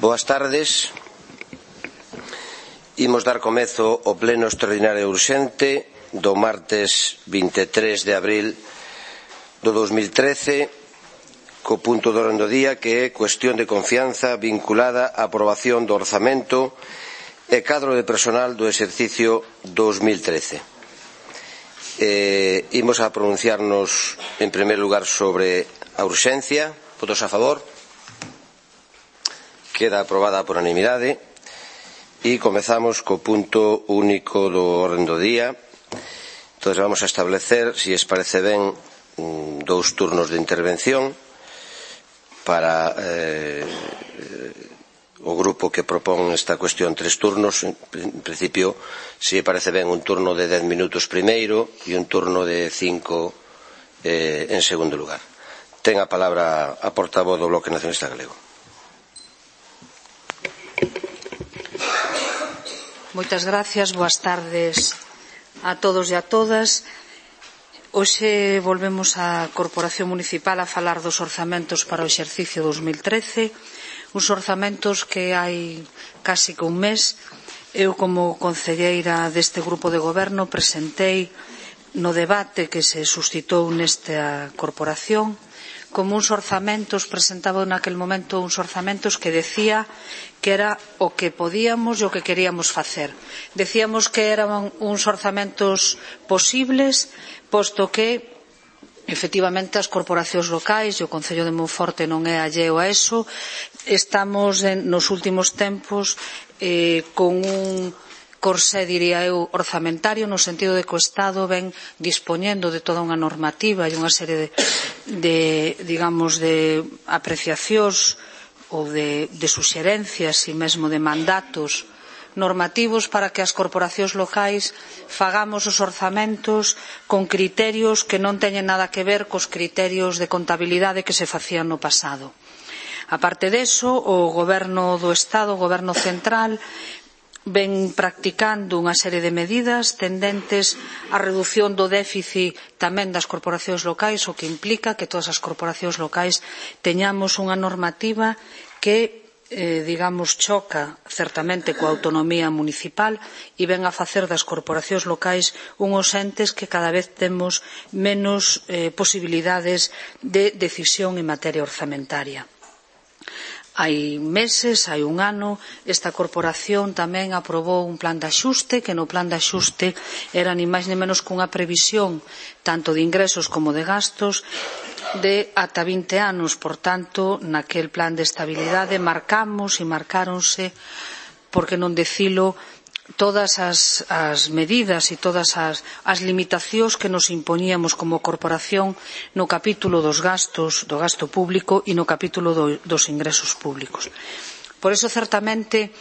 Boas tardes. Imos dar comezo ao pleno extraordinario urxente do martes 23 de abril do 2013 co punto do orden do día que é cuestión de confianza vinculada á aprobación do orzamento e cadro de personal do exercicio 2013. Imos a pronunciarnos en primer lugar sobre a urxencia. Votos a favor. Queda aprobada por unanimidade e comezamos co punto único do orden do día. Entón vamos a establecer, se os parece ben, dous turnos de intervención para o grupo que propón esta cuestión, 3 turnos. En principio, se parece ben, un turno de 10 minutos primeiro e un turno de 5 en segundo lugar. Ten a palabra a portavoz do Bloque Nacionalista Galego. Moitas gracias, boas tardes a todos e a todas. Hoxe volvemos á Corporación Municipal a falar dos orzamentos para o exercicio 2013, uns orzamentos que hai casi que un mes eu, como concelleira deste grupo de goberno, presentei no debate que se suscitou nesta corporación como uns orzamentos, presentaba naquel momento uns orzamentos que decía que era o que podíamos e o que queríamos facer. Decíamos que eran uns orzamentos posibles, posto que efectivamente as corporacións locais e o Concello de Monforte non é alleo a eso. Estamos nos últimos tempos con un corsé, diría eu, orzamentario, no sentido de que o Estado ven dispoñendo de toda unha normativa e unha serie de apreciacións ou de suxerencias e mesmo de mandatos normativos para que as corporacións locais fagamos os orzamentos con criterios que non teñen nada que ver cos criterios de contabilidade que se facían no pasado. A parte deso, o Goberno do Estado, o Goberno central, ven practicando unha serie de medidas tendentes á redución do déficit tamén das corporacións locais, o que implica que todas as corporacións locais teñamos unha normativa que choca certamente coa autonomía municipal e ven a facer das corporacións locais unhos entes que cada vez temos menos posibilidades de decisión en materia orzamentaria. Hai meses, hai un ano, esta corporación tamén aprobou un plan de axuste, que no plan de axuste era ni máis ni menos cunha previsión tanto de ingresos como de gastos de ata 20 anos. Por tanto, naquel plan de estabilidade marcamos e marcáronse, por que non dicilo, todas as medidas e todas as limitacións que nos impoñíamos como corporación no capítulo dos gastos, do gasto público e no capítulo dos ingresos públicos. Por iso, certamente,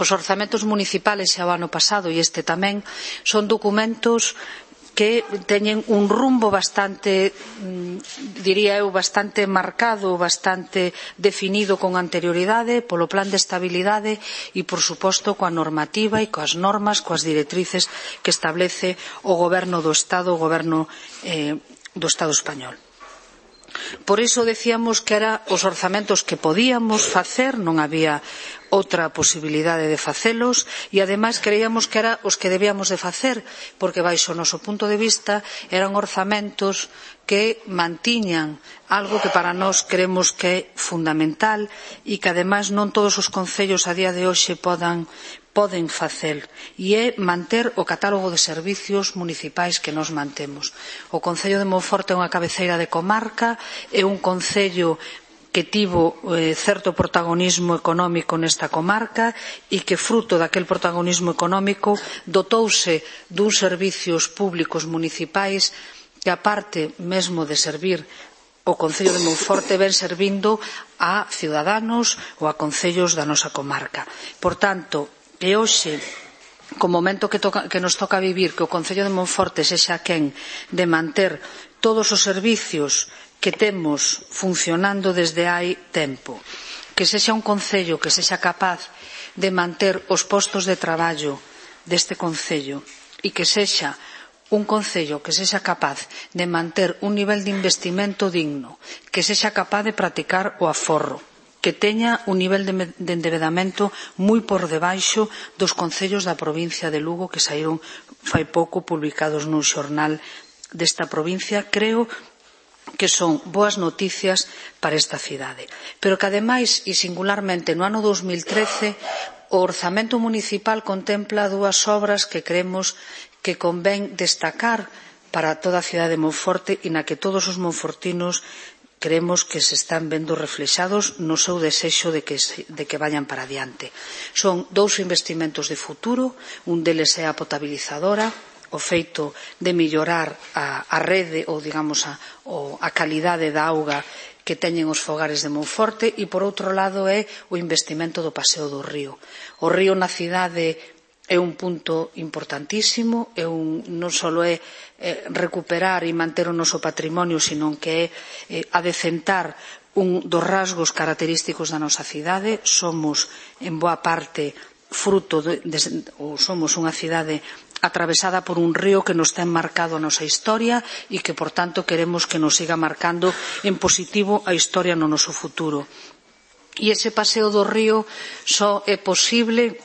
os orzamentos municipales xa o ano pasado e este tamén son documentos que teñen un rumbo bastante, diría eu, bastante marcado, bastante definido con anterioridade polo plan de estabilidade e, por suposto, coa normativa e coas normas, coas directrices que establece o Goberno do Estado, o Goberno do Estado español. Por iso decíamos que eran os orzamentos que podíamos facer, non había outra posibilidade de facelos e, ademais, creíamos que eran os que debíamos de facer, porque, baixo o noso punto de vista, eran orzamentos que mantiñan algo que para nós creemos que é fundamental e que, ademais, non todos os concellos a día de hoxe poden facer, e é manter o catálogo de servicios municipais que nos mantemos. O Concello de Monforte é unha cabeceira de comarca, é un concello que tivo certo protagonismo económico nesta comarca e que, fruto daquel protagonismo económico, dotouse duns servicios públicos municipais que, aparte mesmo de servir o Concello de Monforte, ven servindo a ciudadanos ou a concellos da nosa comarca. Por tanto, que hoxe, co momento que nos toca vivir, que o Concello de Monforte sexa quen de manter todos os servicios que temos funcionando desde hai tempo, que sexa un concello que sexa capaz de manter os postos de traballo deste concello e que sexa un concello que sexa capaz de manter un nivel de investimento digno, que sexa capaz de practicar o aforro, que teña un nivel de endebedamento moi por debaixo dos concellos da provincia de Lugo que saíron fai pouco publicados nun xornal desta provincia. Creo que son boas noticias para esta cidade. Pero que, ademais, e singularmente no ano 2013, o orzamento municipal contempla dúas obras que creemos que convén destacar para toda a cidade de Monforte e na que todos os monfortinos creemos que se están vendo reflexados no seu desexo de que vayan para adiante. Son dous investimentos de futuro, un deles é a potabilizadora, o feito de mellorar a rede ou, digamos, a calidade da auga que teñen os fogares de Monforte e, por outro lado, é o investimento do Paseo do Río. O río na cidade é un punto importantísimo, non só é recuperar e manter o noso patrimonio, sino que é adecentar un dos rasgos característicos da nosa cidade. Somos, en boa parte, somos unha cidade atravesada por un río que nos ten marcado a nosa historia e que, por tanto, queremos que nos siga marcando en positivo a historia no noso futuro. E ese paseo do río só é posible,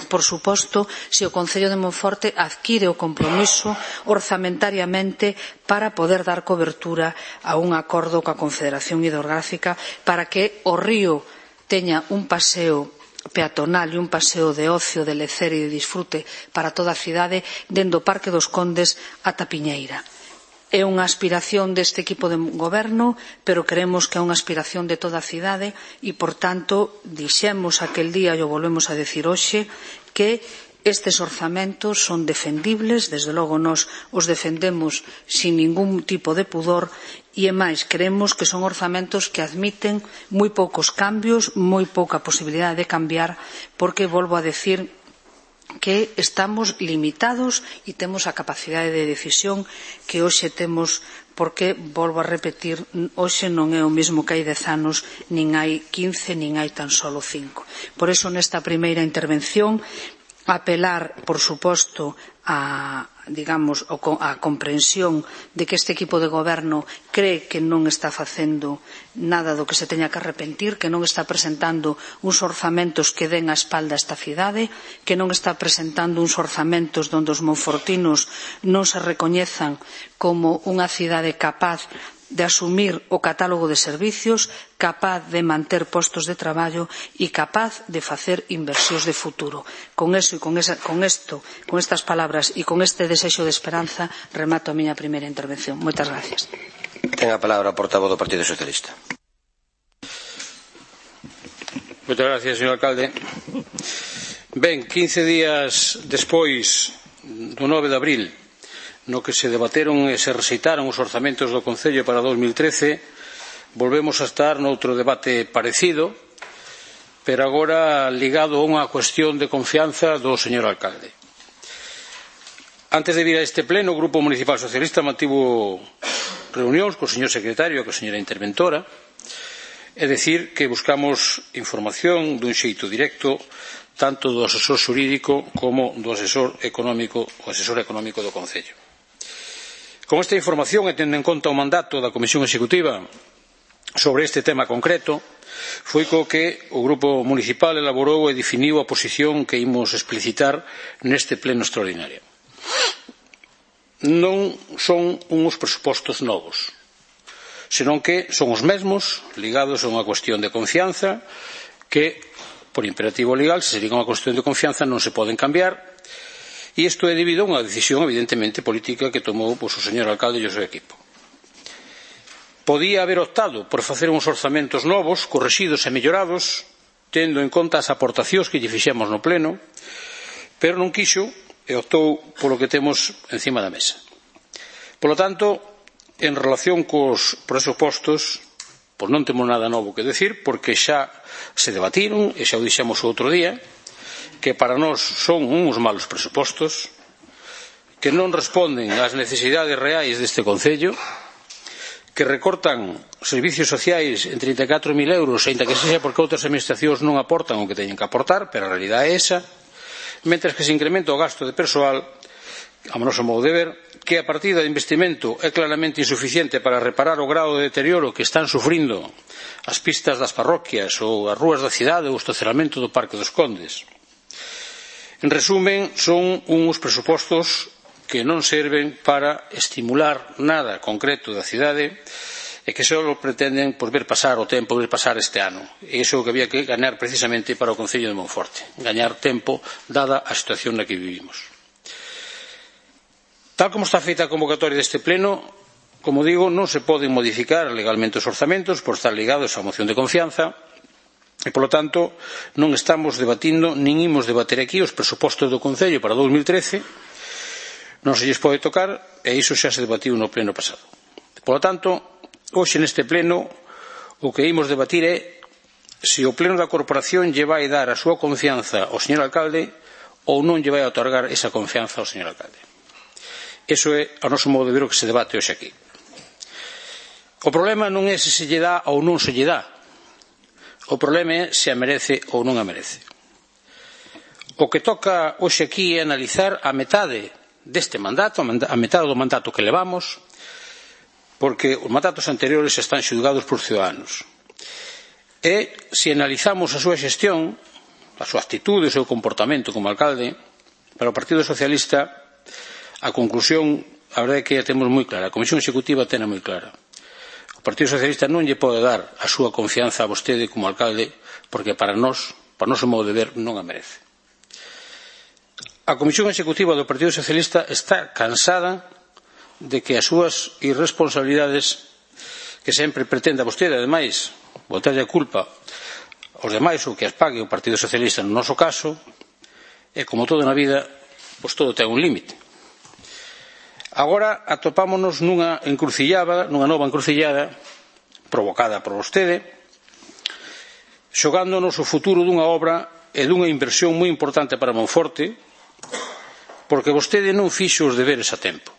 por suposto, se o Concello de Monforte adquire o compromiso orzamentariamente para poder dar cobertura a un acordo coa Confederación Hidrográfica para que o río teña un paseo peatonal e un paseo de ocio, de lecer e de disfrute para toda a cidade, dende o Parque dos Condes ata Piñeira. É unha aspiración deste equipo de goberno, pero creemos que é unha aspiración de toda a cidade e, por tanto, dixemos aquel día e o volvemos a decir hoxe que estes orzamentos son defendibles, desde logo nós os defendemos sin ningún tipo de pudor e, máis, creemos que son orzamentos que admiten moi poucos cambios, moi pouca posibilidade de cambiar, porque, volvo a decir, que estamos limitados e temos a capacidade de decisión que hoxe temos, porque, volvo a repetir, hoxe non é o mesmo que hai 10 anos, nin hai 15, nin hai tan solo 5. Por iso, nesta primeira intervención, apelar, por suposto, a comprensión de que este equipo de goberno cree que non está facendo nada do que se teña que arrepentir, que non está presentando uns orzamentos que den a espalda a esta cidade, que non está presentando uns orzamentos onde os monfortinos non se recoñezan como unha cidade capaz de asumir o catálogo de servicios, capaz de manter postos de traballo e capaz de facer inversións de futuro. Con eso e con estas palabras e con este desexo de esperanza remato a miña primeira intervención. Moitas gracias. Ten a palabra o portavoz do Partido Socialista. Moitas gracias, señor alcalde. Ben, 15 días despois do 9 de abril, no que se debateron e se rexeitaron os orzamentos do Concello para 2013, volvemos a estar noutro debate parecido, pero agora ligado a unha cuestión de confianza do señor alcalde. Antes de vir a este pleno, o Grupo Municipal Socialista mantivo reunións co señor secretario e coa señora interventora, é dicir, que buscamos información dun xeito directo tanto do asesor xurídico como do asesor económico do Concello. Con esta información e tendo en conta o mandato da Comisión Executiva sobre este tema concreto, foi co que o Grupo Municipal elaborou e definiu a posición que imos explicitar neste pleno extraordinario. Non son uns presupostos novos, senón que son os mesmos, ligados a unha cuestión de confianza, que, por imperativo legal, se sería unha cuestión de confianza, non se poden cambiar. E isto é debido a unha decisión evidentemente política que tomou o señor alcalde e o seu equipo. Podía haber optado por facer uns orzamentos novos, correxidos e mellorados, tendo en conta as aportacións que lle fixemos no pleno, pero non quixo e optou polo que temos encima da mesa. Polo tanto, en relación cos presupostos, pois non temos nada novo que decir, porque xa se debatiron e xa o dixemos o outro día, que para nós son uns malos presupostos, que non responden ás necesidades reais deste Concello, que recortan servicios sociais en 34.000 euros, ainda que sexa porque outras administracións non aportan o que teñen que aportar, pero a realidade é esa, mentres que se incrementa o gasto de persoal a noso modo de ver, que a partida de investimento é claramente insuficiente para reparar o grado de deterioro que están sufrindo as pistas das parroquias ou as rúas da cidade ou o estacionamento do Parque dos Condes. En resumen, son uns presupostos que non serven para estimular nada concreto da cidade e que só pretenden ver pasar o tempo, ver pasar este ano. E iso é o que había que gañar precisamente para o Concello de Monforte, gañar tempo dada a situación na que vivimos. Tal como está feita a convocatoria deste pleno, como digo, non se poden modificar legalmente os orzamentos por estar ligados á moción de confianza e, polo tanto, non estamos debatindo, nin imos debater aquí os presupostos do Concello para 2013, non se lles pode tocar e iso xa se debatiu no pleno pasado. Polo tanto, hoxe neste pleno o que imos debatir é se o pleno da corporación lle vai dar a súa confianza ao señor alcalde ou non lle vai otorgar esa confianza ao señor alcalde. Iso é, a noso modo de ver, o que se debate hoxe aquí. O problema non é se se lle dá ou non se lle dá. O problema é se a merece ou non a merece. O que toca hoxe aquí é analizar a metade deste mandato, a metade do mandato que levamos, porque os mandatos anteriores están xulgados por ciudadanos. E se analizamos a súa xestión, a súa actitude, o seu comportamento como alcalde, para o Partido Socialista, a conclusión, a verdade é que a temos moi clara. A Comisión Executiva tena moi clara. O Partido Socialista non lle pode dar a súa confianza a vostede como alcalde, porque para nós, para o noso modo de ver, non a merece. A Comisión Executiva do Partido Socialista está cansada de que as súas irresponsabilidades, que sempre pretenda vostede, ademais, botarlle a culpa aos demais ou que as pague o Partido Socialista no noso caso, e como todo na vida, pois todo ten un límite. Agora atopámonos nunha encrucillada, nunha nova encrucillada provocada por vostede, xogándonos o futuro dunha obra e dunha inversión moi importante para Monforte, porque vostede non fixo os deberes a tempo.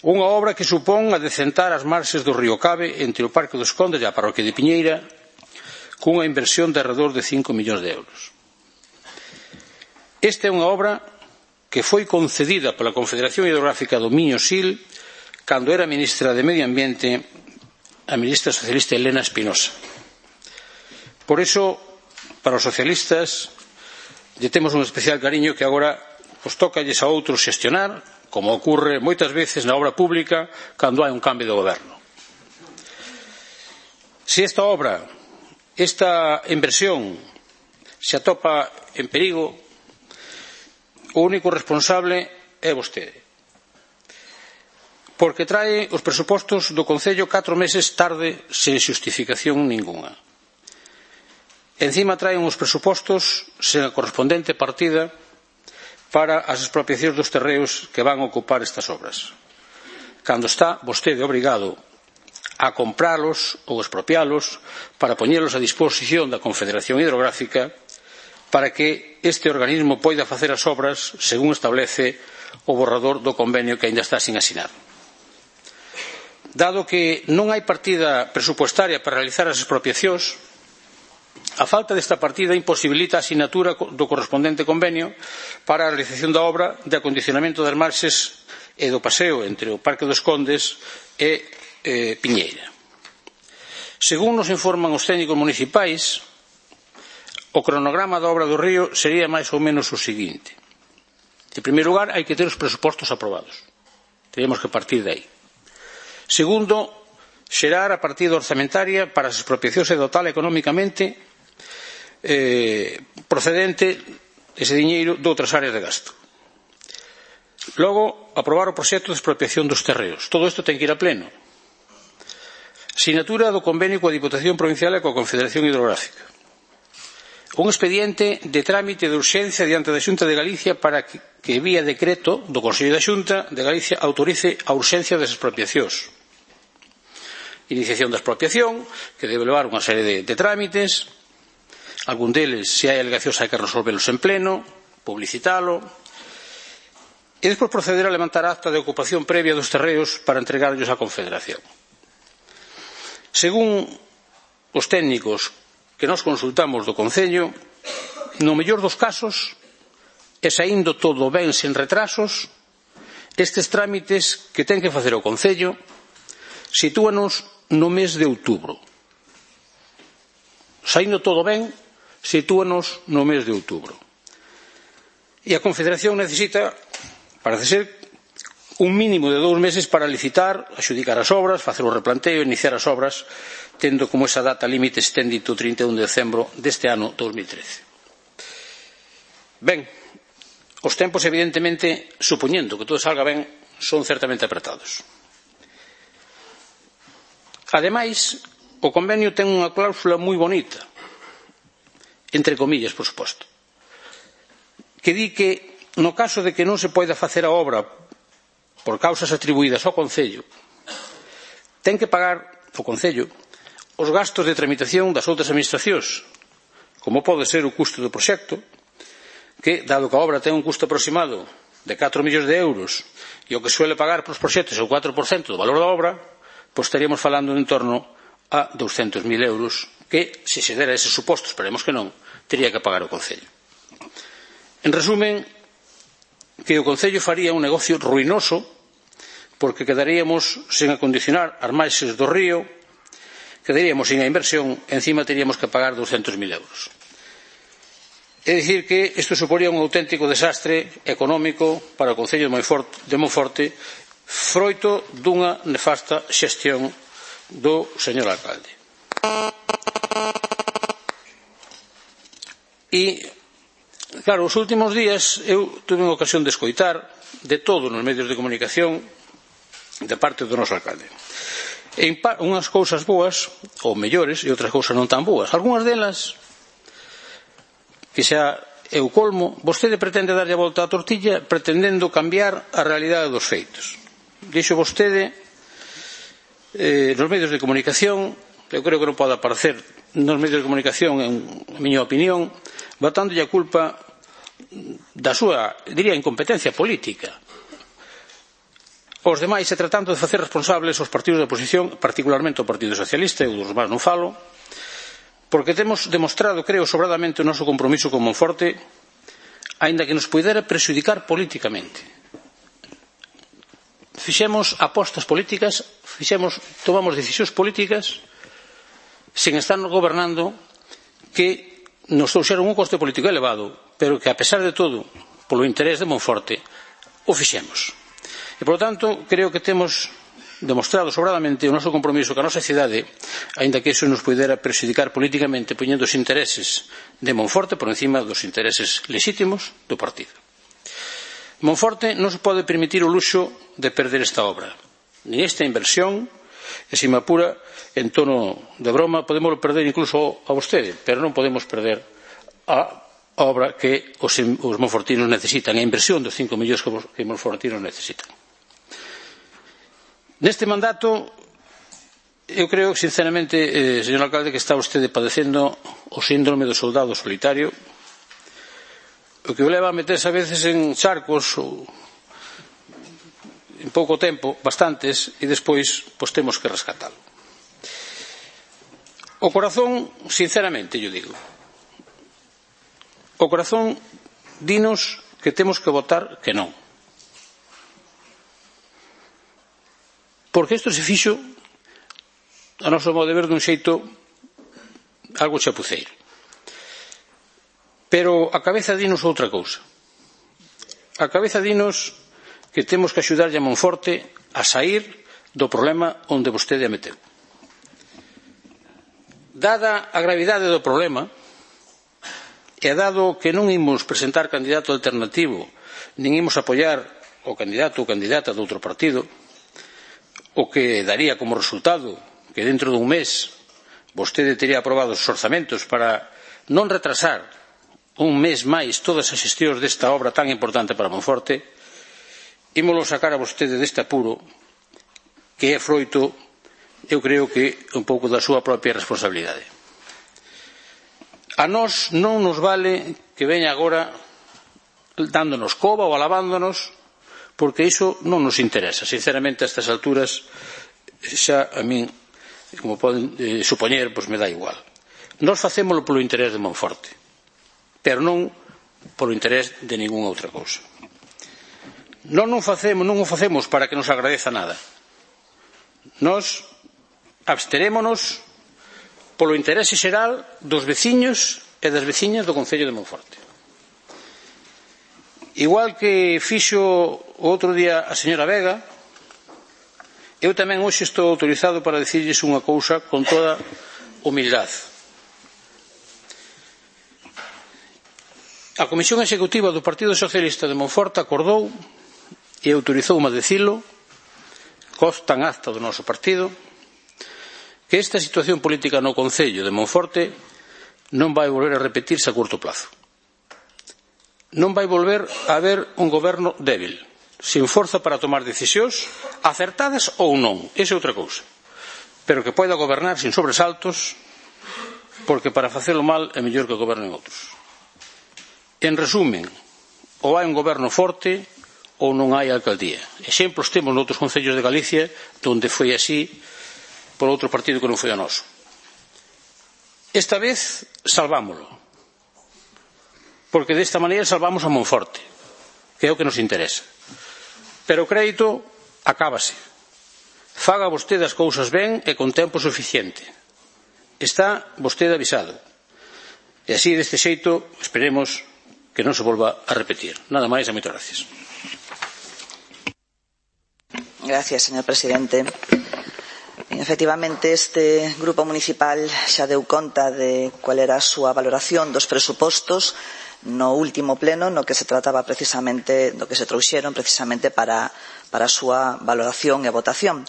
Unha obra que supón adecentar as marxes do río Cabe entre o Parque dos Condes e a parroquia de Piñeira, cunha inversión de alrededor de 5 millóns de euros. Esta é unha obra que foi concedida pola Confederación Hidrográfica do Miño-Sil cando era ministra de Medio Ambiente a ministra socialista Elena Espinosa. Por iso, para os socialistas, lle temos un especial cariño que agora pues, tócalles a outros xestionar, como ocurre moitas veces na obra pública cando hai un cambio de goberno. Se esta obra, esta inversión, se atopa en perigo, o único responsable é vostede. Porque trae os presupostos do Concello 4 meses tarde sen xustificación ningunha. Encima traen os presupostos sen a correspondente partida para as expropiacións dos terreos que van ocupar estas obras. Cando está vostede obrigado a compralos ou expropialos para poñelos a disposición da Confederación Hidrográfica para que este organismo poida facer as obras según establece o borrador do convenio que aínda está sin asinar. Dado que non hai partida presupuestaria para realizar as expropiacións, a falta desta partida imposibilita a asinatura do correspondente convenio para a realización da obra de acondicionamento das marxes e do paseo entre o Parque dos Condes e Piñeira. Según nos informan os técnicos municipais, o cronograma da obra do río sería máis ou menos o seguinte. En primeiro lugar, hai que ter os presupostos aprobados. Teríamos que partir de aí. Segundo, xerar a partida orzamentaria para as expropiacións e dotar económicamente procedente ese diñeiro de outras áreas de gasto. Logo, aprobar o proxecto de expropiación dos terreos. Todo isto ten que ir a pleno. Sinatura do convenio coa Diputación Provincial e coa Confederación Hidrográfica. Un expediente de trámite de urxencia diante da Xunta de Galicia para que vía decreto do Consello da Xunta de Galicia autorice a urxencia das expropiacións. Iniciación da expropiación, que debe levar unha serie de trámites, algún deles, se hai alegacións, hai que resolvelos en pleno, publicitalo, e despois proceder a levantar acta de ocupación previa dos terreos para entregarlos á Confederación. Según os técnicos que nos consultamos do Concello, no mellor dos casos, e saindo todo ben sen retrasos, estes trámites que ten que facer o Concello sitúanos no mes de outubro. Saindo todo ben, sitúanos no mes de outubro. E a Confederación necesita, parece ser, un mínimo de 2 meses para licitar, adxudicar as obras, facer o replanteo e iniciar as obras, tendo como esa data límite extendito o 31 de decembro deste ano 2013. Ben, os tempos, evidentemente, supoñendo que todo salga ben, son certamente apretados. Ademais, o convenio ten unha cláusula moi bonita, entre comillas, por suposto, que di que no caso de que non se poida facer a obra por causas atribuídas ao Concello, ten que pagar o Concello os gastos de tramitación das outras administracións, como pode ser o custo do proxecto, que, dado que a obra ten un custo aproximado de 4 millóns de euros e o que suele pagar para os proxectos é o 4% do valor da obra, pois estaríamos falando en torno a 200.000 euros que, se se dera ese suposto, esperemos que non, tería que pagar o Concello. En resumen, que o Concello faría un negocio ruinoso porque quedaríamos sen acondicionar as marxes do río, quedaríamos sin a inversión, encima teríamos que pagar 200.000 euros. É dicir que isto suporía un auténtico desastre económico para o Concello de Monforte, froito dunha nefasta xestión do señor alcalde. E, claro, os últimos días eu tuve unha ocasión de escoitar de todo nos medios de comunicación de parte do noso alcalde. E unhas cousas boas, ou mellores, e outras cousas non tan boas. Algúnas delas, que xa é o colmo, vostede pretende darlle a volta á tortilla pretendendo cambiar a realidade dos feitos. Dixo vostede nos medios de comunicación, eu creo que non pode aparecer nos medios de comunicación, en miña opinión, botándolle a culpa da súa, diría, incompetencia política aos demais e tratando de facer responsables os partidos de oposición, particularmente o Partido Socialista, e os demais non falo, porque temos demostrado, creo, sobradamente o noso compromiso con Monforte, aínda que nos pudera prexudicar políticamente. Fixemos apostas políticas, tomamos decisións políticas sen estar gobernando que nos trouxeron un coste político elevado, pero que, a pesar de todo, polo interés de Monforte, o fixemos. E, por lo tanto, creo que temos demostrado sobradamente o noso compromiso ca nosa cidade, aínda que iso nos pudera prexudicar políticamente poñendo os intereses de Monforte por encima dos intereses lexítimos do partido. Monforte non se pode permitir o luxo de perder esta obra, nin esta inversión, e se me apura, en tono de broma, podemos perder incluso a vostede, pero non podemos perder a obra que os monfortinos necesitan, a inversión dos 5 millóns que os monfortinos necesitan. Neste mandato, eu creo, sinceramente, señor alcalde, que está vostede padecendo o síndrome do soldado solitario, o que o leva a meterse a veces en charcos en pouco tempo, bastantes, e despois pois temos que rescatalo. O corazón, sinceramente, yo digo, o corazón dinos que temos que votar que non. Porque isto se fixo, a noso modo de ver, dun xeito algo chapuceiro. Pero a cabeza dinos outra cousa. A cabeza dinos que temos que axudarlle a Monforte a sair do problema onde vostede a meteu. Dada a gravidade do problema, e dado que non imos presentar candidato alternativo, nin imos apoiar o candidato ou candidata de outro partido, o que daría como resultado que dentro dun mes vostede tería aprobado os orzamentos para non retrasar un mes máis todas as xestións desta obra tan importante para Monforte, ímolo sacar a vostede deste apuro que é froito, eu creo que un pouco da súa propia responsabilidade. A nós non nos vale que veña agora dándonos coba ou alabándonos, porque iso non nos interesa. Sinceramente, a estas alturas, xa a min, como poden supoñer, pois me dá igual. Nós facémolo polo interés de Monforte, pero non polo interés de ningunha outra cousa. Non o facemos para que nos agradeza nada. Nós absterémonos polo interese xeral dos veciños e das veciñas do Concello de Monforte. Igual que fixo o outro día a señora Vega, eu tamén hoxe estou autorizado para dicirlles unha cousa con toda humildade. A Comisión Executiva do Partido Socialista de Monforte acordou e autorizoume a dicilo, consta en acta do noso partido, que esta situación política no Concello de Monforte non vai volver a repetirse a curto plazo. Non vai volver a haber un goberno débil, sin forza para tomar decisións acertadas ou non, esa é outra cousa, pero que poida gobernar sin sobresaltos, porque para facelo mal é mellor que gobernen outros. En resumen, ou hai un goberno forte ou non hai alcaldía. Exemplos temos noutros concellos de Galicia onde foi así por outro partido que non foi o noso. Esta vez salvámoslo, porque desta maneira salvamos a Monforte, que é o que nos interesa. Pero o crédito acábase. Faga vostede as cousas ben e con tempo suficiente. Está vostede avisado. E así, deste xeito, esperemos que non se volva a repetir. Nada máis e moitas gracias. Gracias, señor presidente. Efectivamente, este grupo municipal xa deu conta de cual era a súa valoración dos presupostos no último pleno, no que se trataba precisamente, do que se trouxeron precisamente para a súa valoración e votación.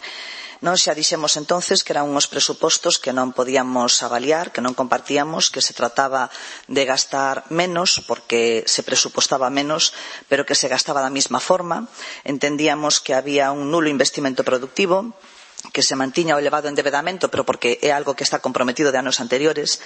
Nós xa dixemos entonces que eran uns presupostos que non podíamos avaliar, que non compartíamos, que se trataba de gastar menos porque se presupostaba menos, pero que se gastaba da mesma forma. Entendíamos que había un nulo investimento productivo, que se mantiña o elevado endevedamento, pero porque é algo que está comprometido de anos anteriores,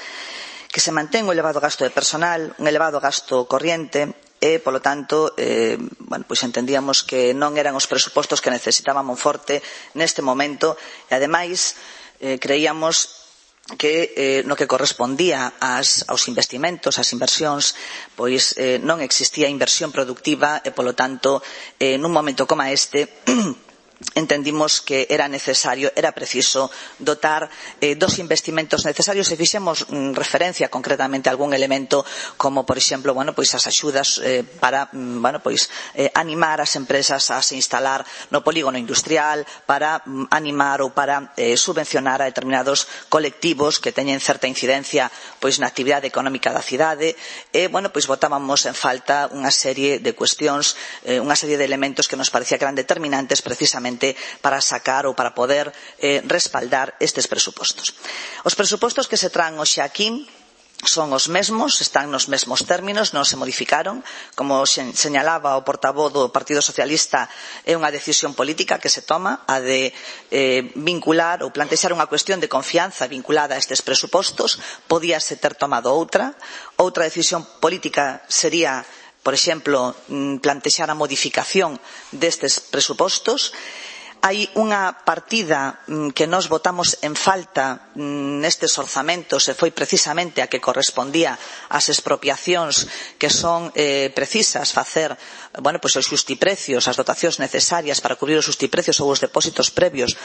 que se mantén o elevado gasto de personal, un elevado gasto corriente e, polo tanto, pois entendíamos que non eran os presupostos que necesitaba Monforte neste momento e, ademais, creíamos que no que correspondía aos investimentos, ás inversións, pois non existía inversión productiva e, polo tanto, nun momento como este, entendimos que era necesario, era preciso dotar dos investimentos necesarios e fixemos referencia concretamente a algún elemento como, por exemplo, as axudas para animar as empresas a se instalar no polígono industrial, para animar ou para subvencionar a determinados colectivos que teñen certa incidencia na actividade económica da cidade e, botábamos en falta unha serie de cuestións, unha serie de elementos que nos parecía que eran determinantes precisamente para sacar ou para poder respaldar estes presupostos. Os presupostos que se traen hoxe aquí son os mesmos, están nos mesmos términos, non se modificaron. Como señalaba o portavoz do Partido Socialista, é unha decisión política que se toma, a de vincular ou plantexar unha cuestión de confianza vinculada a estes presupostos. Podíase ter tomado outra decisión política sería, por exemplo, plantexar a modificación destes presupostos. Hai unha partida que nós votamos en falta nestes orzamentos e foi precisamente a que correspondía ás expropiacións que son precisas facer os xustiprecios, as dotacións necesarias para cubrir os xustiprecios ou os depósitos previos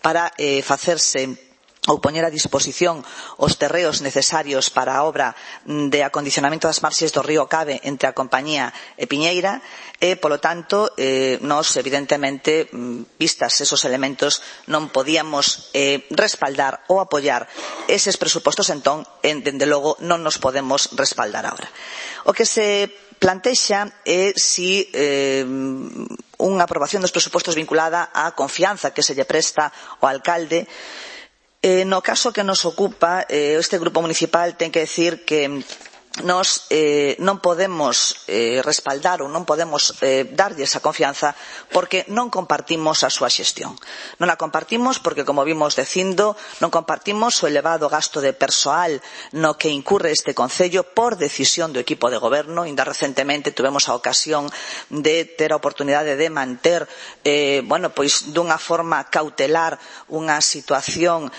para facerse ou poñer a disposición os terreos necesarios para a obra de acondicionamento das marxes do río Cabe entre a compañía e Piñeira e, polo tanto, nós, evidentemente, vistas esos elementos, non podíamos respaldar ou apoiar eses presupostos, entón, dende logo, non nos podemos respaldar agora. O que se plantexa é si unha aprobación dos presupostos vinculada á confianza que se lle presta ao alcalde. No caso que nos ocupa, este grupo municipal ten que decir que nós non podemos respaldar ou non podemos darlle esa confianza porque non compartimos a súa xestión. Non a compartimos porque, como vimos dicindo, non compartimos o elevado gasto de persoal no que incurre este concello por decisión do equipo de goberno. Inda recentemente tivemos a ocasión de ter a oportunidade de manter dunha forma cautelar unha situación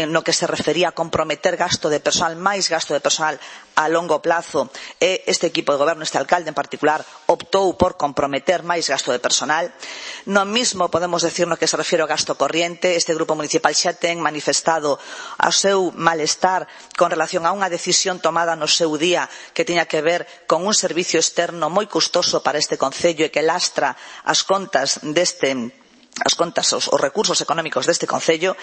no que se refería a comprometer gasto de persoal, máis gasto de persoal a longo longo plazo e este equipo de goberno, este alcalde en particular, optou por comprometer máis gasto de personal. No mismo podemos decir no que se refire ao gasto corriente. Este grupo municipal xa ten manifestado o seu malestar con relación a unha decisión tomada no seu día que tiña que ver con un servicio externo moi custoso para este concello e que lastra as contas os recursos económicos deste concello,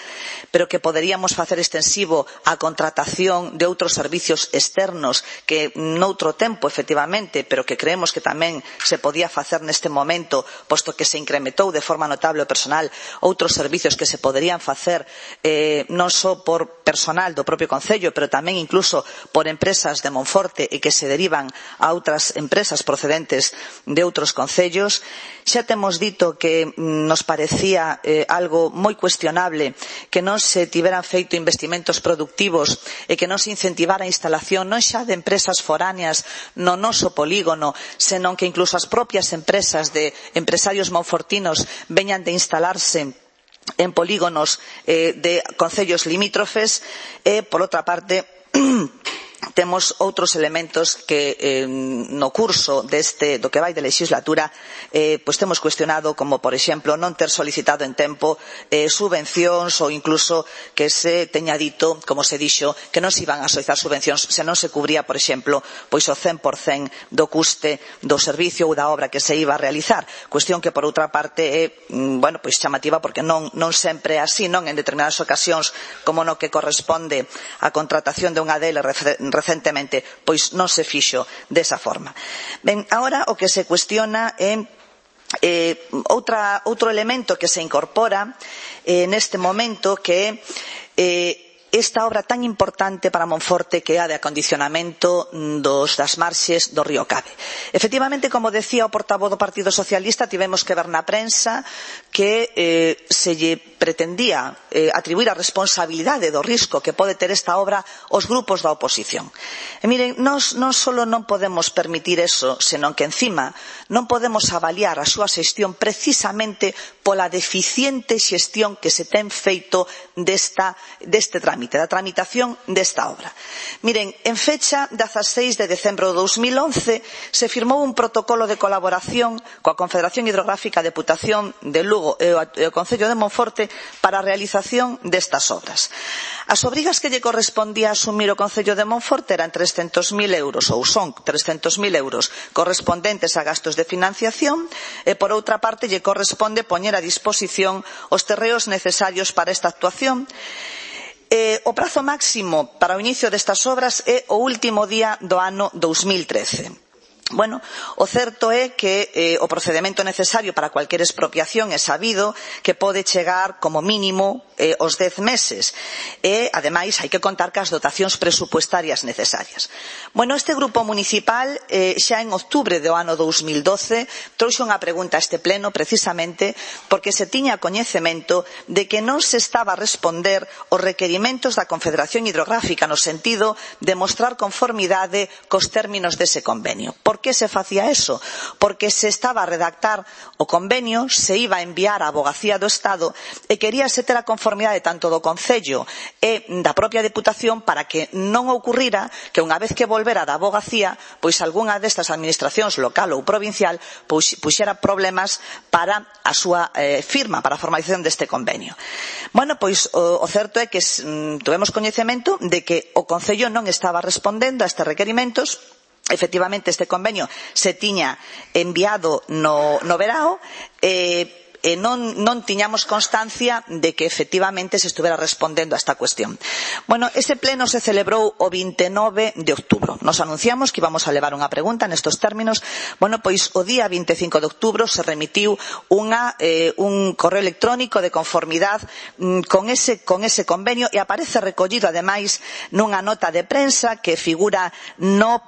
pero que poderíamos facer extensivo a contratación de outros servicios externos que noutro tempo, efectivamente, pero que creemos que tamén se podía facer neste momento, posto que se incrementou de forma notable o personal, outros servicios que se poderían facer non só por personal do propio concello, pero tamén incluso por empresas de Monforte e que se derivan a outras empresas procedentes de outros concellos. Xa temos dito que nos parecía algo moi cuestionable que non se tiveran feito investimentos productivos e que non se incentivara a instalación non xa de empresas foráneas no noso polígono, senón que incluso as propias empresas de empresarios monfortinos veñan de instalarse en polígonos de concellos limítrofes. E, por outra parte, temos outros elementos que no curso do que vai de legislatura pois temos cuestionado, como por exemplo non ter solicitado en tempo subvencións ou incluso que se teña dito, como se dixo, que non se iban a solicitar subvencións se non se cubría, por exemplo, pois o 100% do custe do servicio ou da obra que se iba a realizar, cuestión que por outra parte é pois chamativa porque non sempre é así, non en determinadas ocasións, como no que corresponde á contratación de unha DL recentemente, pois non se fixo desa forma. Ben, agora o que se cuestiona é outro elemento que se incorpora neste momento, que é esta obra tan importante para Monforte que é a de acondicionamento das marxes do río Cabe. Efectivamente, como decía o portavoz do Partido Socialista, tivemos que ver na prensa que se lle pretendía atribuir a responsabilidade do risco que pode ter esta obra aos grupos da oposición. E miren, nós non só non podemos permitir eso, senón que encima non podemos avaliar a súa xestión precisamente pola deficiente xestión que se ten feito deste trámite, da tramitación desta obra. Miren, en fecha 16 de decembro de 2011 se firmou un protocolo de colaboración coa Confederación Hidrográfica e Deputación de Lugo e o Concello de Monforte para a realización destas obras. As obrigas que lle correspondía asumir o Concello de Monforte eran 300.000 euros, ou son 300.000 euros correspondentes a gastos de financiación, e por outra parte lle corresponde poñer a disposición os terreos necesarios para esta actuación. O prazo máximo para o inicio destas obras é o último día do ano 2013. Bueno, o certo é que o procedemento necesario para cualquier expropiación é sabido que pode chegar como mínimo os 10 meses e, ademais, hai que contar cas dotacións presupuestarias necesarias. Bueno, este grupo municipal xa en outubro do ano 2012 trouxe unha pregunta a este pleno precisamente porque se tiña coñecemento de que non se estaba a responder os requerimentos da Confederación Hidrográfica no sentido de mostrar conformidade cos términos dese convenio. Por que se facía eso? Porque se estaba a redactar o convenio, se iba a enviar á Avogacía do Estado e queríase ter a conformidade tanto do Concello e da propia Deputación para que non ocurrira que unha vez que volvera da Avogacía, pois algunha destas administracións local ou provincial puxera problemas para a súa firma, para a formalización deste convenio. Bueno, pois o certo é que tivemos coñecemento de que o Concello non estaba respondendo a estes requerimentos. Efectivamente, este convenio se tiña enviado no verao e non tiñamos constancia de que efectivamente se estuvera respondendo a esta cuestión. Bueno, ese pleno se celebrou o 29 de outubro. Nos anunciamos que íbamos a levar unha pregunta nestos términos. Bueno, pois o día 25 de outubro se remitiu un correo electrónico de conformidade con ese convenio e aparece recollido ademais nunha nota de prensa que figura nun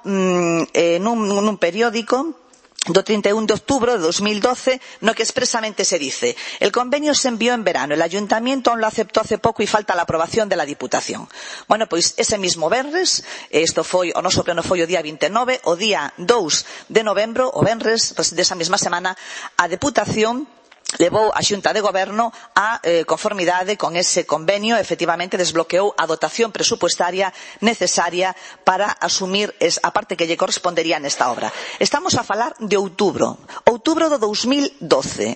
periódico do 31 de outubro de 2012, no que expresamente se dice: el convenio se envió en verano, el ayuntamiento aún lo aceptó hace poco y falta la aprobación de la Diputación. Bueno, pois ese mismo venres, o noso pleno foi o día 29, o día 2 de novembro, o venres desa mesma semana, a Deputación levou a Xunta de Goberno a conformidade con ese convenio, efectivamente desbloqueou a dotación presupuestaria necesaria para asumir a parte que lle correspondería nesta obra. Estamos a falar de outubro do 2012.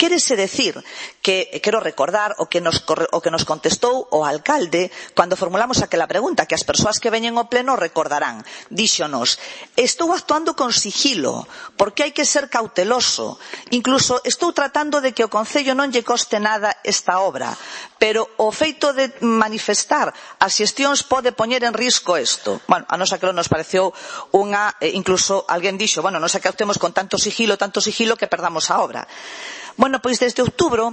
Quérese decir que, quero recordar o que nos contestou o alcalde cando formulamos aquela pregunta, que as persoas que veñen ao pleno recordarán. Díxonos, estou actuando con sigilo, porque hai que ser cauteloso. Incluso estou tratando de que o Concello non lle coste nada esta obra, pero o feito de manifestar as xestións pode poñer en risco isto. Bueno, a nosa que nos pareceu incluso alguén dixo, bueno, non sei que actuemos con tanto sigilo que perdamos a obra. Bueno, pois desde outubro,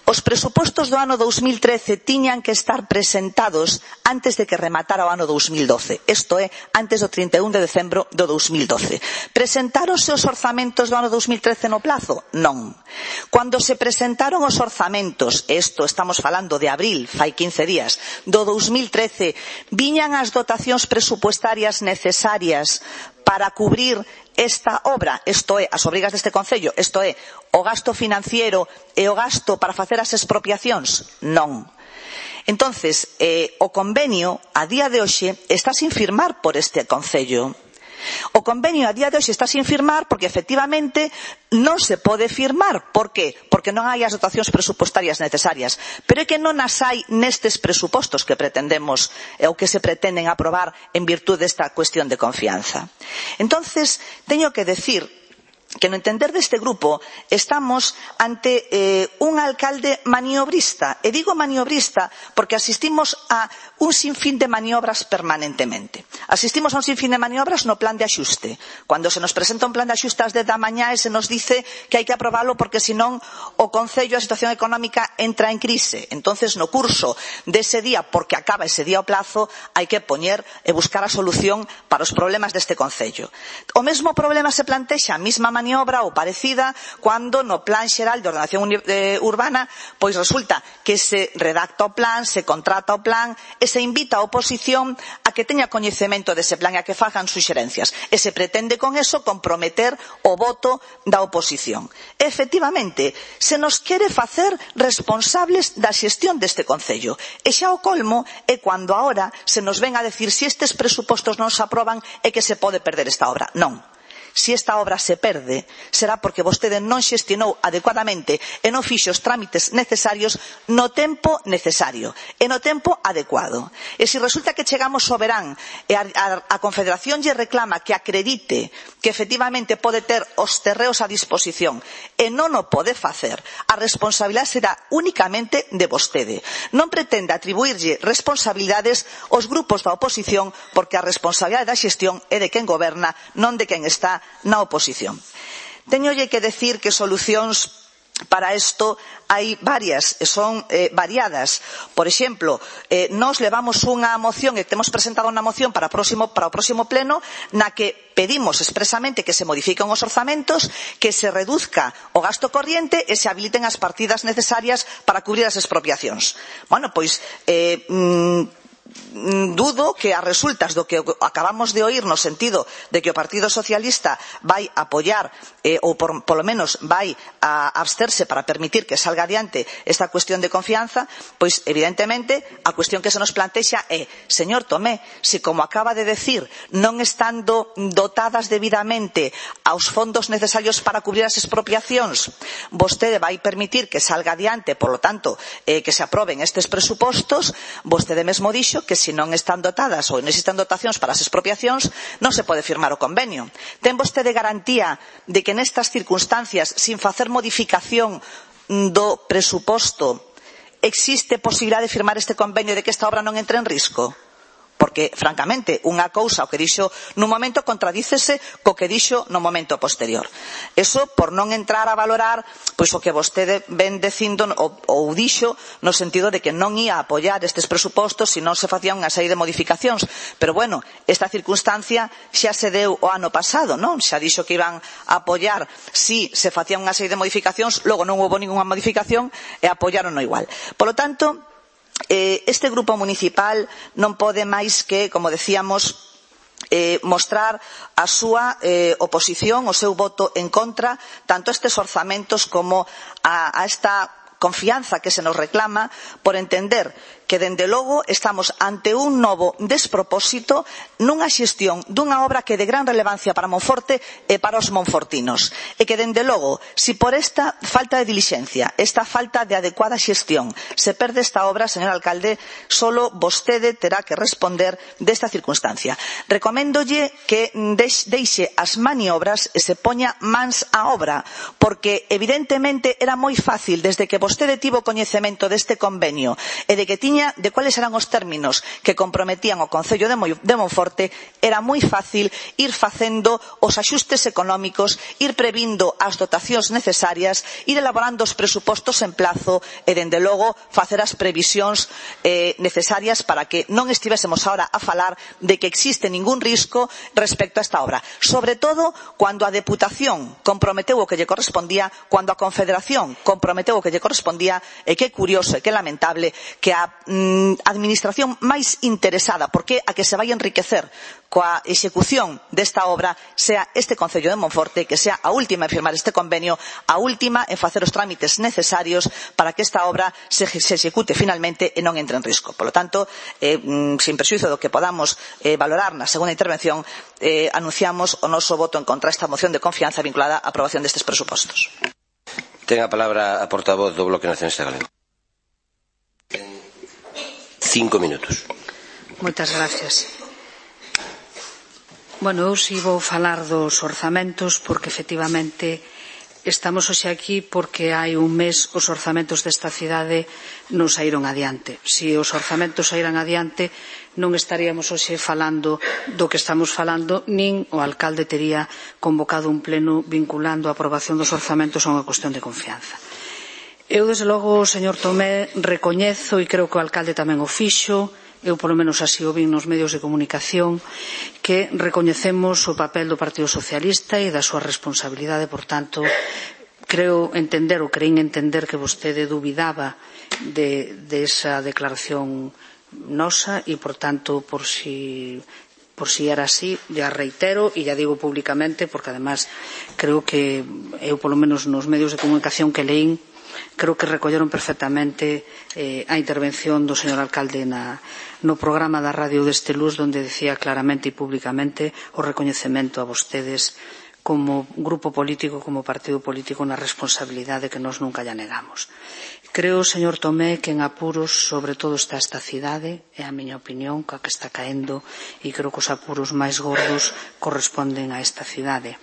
os presupostos do ano 2013 tiñan que estar presentados antes de que rematara o ano 2012. Isto é, antes do 31 de decembro do 2012. Presentáronse os orzamentos do ano 2013 no plazo? Non. Cando se presentaron os orzamentos, estamos falando de abril, fai 15 días, do 2013, viñan as dotacións presupuestarias necesarias para cubrir esta obra, isto é, as obrigas deste Concello, isto é, o gasto financiero e o gasto para facer as expropiacións? Non. Entonces, o convenio, a día de hoxe, está sin firmar por este Concello. O convenio a día de hoxe está sin firmar porque efectivamente non se pode firmar. Por qué? Porque non hai as dotacións presupuestarias necesarias. Pero é que non as hai nestes presupostos que pretendemos ou que se pretenden aprobar en virtude desta cuestión de confianza. Entonces, teño que decir que no entender deste grupo estamos ante un alcalde maniobrista. E digo maniobrista porque asistimos a un sinfín de maniobras permanentemente. Asistimos a un sinfín de maniobras no plan de axuste. Cando se nos presenta un plan de axuste ás 10 da mañá e se nos dice que hai que aprobalo porque senón o Concello, a situación económica entra en crise. Entonces no curso dese día, porque acaba ese día o plazo, hai que poñer e buscar a solución para os problemas deste Concello. O mesmo problema se plantexa a mesma maniobra ou parecida cando no Plan Xeral de Ordenación Urbana pois resulta que se redacta o plan, se contrata o plan e se invita a oposición a que teña coñecemento dese plan e a que fagan suxerencias e se pretende con eso comprometer o voto da oposición. Efectivamente, se nos quere facer responsables da xestión deste Concello e xa o colmo é cando agora se nos ven a decir se estes presupostos non se aproban é que se pode perder esta obra. Non. Se esta obra se perde, será porque vostede non xestionou adecuadamente e non fixo os trámites necesarios no tempo necesario e no tempo adecuado. E se resulta que chegamos ao verán e a Confederación lle reclama que acredite que efectivamente pode ter os terreos a disposición e non o pode facer, a responsabilidade será únicamente de vostede. Non pretende atribuirlle responsabilidades aos grupos da oposición porque a responsabilidade da xestión é de quen goberna, non de quen está na oposición. Teñolle que decir que solucións para isto hai varias, son variadas. Por exemplo, nós levamos unha moción e temos presentado unha moción para o próximo pleno na que pedimos expresamente que se modifiquen os orzamentos, que se reduzca o gasto corriente e se habiliten as partidas necesarias para cubrir as expropiacións. Bueno, pois dudo que as resultas do que acabamos de oír no sentido de que o Partido Socialista vai apoiar ou polo menos vai a absterse para permitir que salga adiante esta cuestión de confianza, pois evidentemente a cuestión que se nos plantexa é, señor Tomé, se como acaba de decir non estando dotadas debidamente aos fondos necesarios para cubrir as expropiacións, vostede vai permitir que salga adiante, por lo tanto que se aproben estes presupostos, vostede mesmo dixo que se non están dotadas ou non existen dotacións para as expropiacións non se pode firmar o convenio. Ten vostede garantía de que nestas circunstancias, sin facer modificación do presuposto, existe posibilidade de firmar este convenio de que esta obra non entre en risco? Porque, francamente, unha cousa, o que dixo nun momento, contradícese co que dixo no momento posterior. Eso por non entrar a valorar pois o que vostede ven dicindo ou dixo no sentido de que non ia apoiar estes presupostos se non se facían unha serie de modificacións. Pero, bueno, esta circunstancia xa se deu o ano pasado, non? Xa dixo que iban a apoiar si se facían unha serie de modificacións, logo non houve ningunha modificación e apoiaron igual. Por lo tanto, este grupo municipal non pode máis que, como decíamos, mostrar a súa oposición, o seu voto en contra, tanto a estes orzamentos como a esta confianza que se nos reclama, por entender que, dende logo, estamos ante un novo despropósito nunha xestión dunha obra que é de gran relevancia para Monforte e para os monfortinos. E que, dende logo, si por esta falta de dilixencia, esta falta de adecuada xestión, se perde esta obra, señor alcalde, solo vostede terá que responder desta circunstancia. Recoméndolle que deixe as maniobras e se poña mans á obra, porque, evidentemente, era moi fácil, desde que vostede tivo coñecemento deste convenio e de que tiña de cuáles eran os términos que comprometían o Concello de Monforte, era moi fácil ir facendo os axustes económicos, ir previndo as dotacións necesarias, ir elaborando os presupostos en plazo e, dende logo, facer as previsións necesarias para que non estivésemos ahora a falar de que existe ningún risco respecto a esta obra. Sobre todo, cando a Deputación comprometeu o que lle correspondía, cando a Confederación comprometeu o que lle correspondía, e que é curioso e que é lamentable que a administración máis interesada, porque a que se vai enriquecer coa execución desta obra, sea este Concello de Monforte, que sea a última en firmar este convenio, a última en facer os trámites necesarios para que esta obra se execute finalmente e non entre en risco. Por lo tanto, sin prexuízo do que podamos valorar na segunda intervención, anunciamos o noso voto en contra esta moción de confianza vinculada á aprobación destes presupostos. Ten a palabra a portavoz do Bloque Nacionalista Galego. 5 minutos. Moitas gracias. Bueno, eu si vou falar dos orzamentos porque efectivamente estamos hoxe aquí porque hai un mes os orzamentos desta cidade non saíron adiante. Se os orzamentos saíran adiante non estaríamos hoxe falando do que estamos falando, nin o alcalde tería convocado un pleno vinculando a aprobación dos orzamentos a unha cuestión de confianza. Eu, desde logo, señor Tomé, recoñezo, e creo que o alcalde tamén o fixo, eu polo menos así o vin nos medios de comunicación, que recoñecemos o papel do Partido Socialista e da súa responsabilidade, por tanto, creo entender, ou creín entender que vostede dubidaba de esa declaración nosa e, por tanto, por si era así, ya reitero e ya digo públicamente, porque además creo que eu polo menos nos medios de comunicación que leín, creo que recolleron perfectamente a intervención do señor alcalde no programa da radio deste Luz, onde decía claramente e públicamente o recoñecemento a vostedes como grupo político, como partido político, na responsabilidade que nós nunca lla negamos. Creo, señor Tomé, que en apuros sobre todo está esta cidade, é a miña opinión, que está caendo, e creo que os apuros máis gordos corresponden a esta cidade.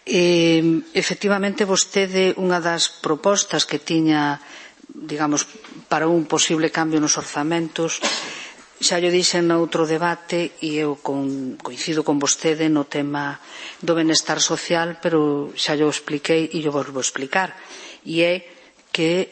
Efectivamente, vostede, unha das propostas que tiña, digamos, para un posible cambio nos orzamentos, xa llo dixen noutro debate, e eu coincido con vostede no tema do benestar social, pero xa llo expliquei e llo volvo a explicar, e é que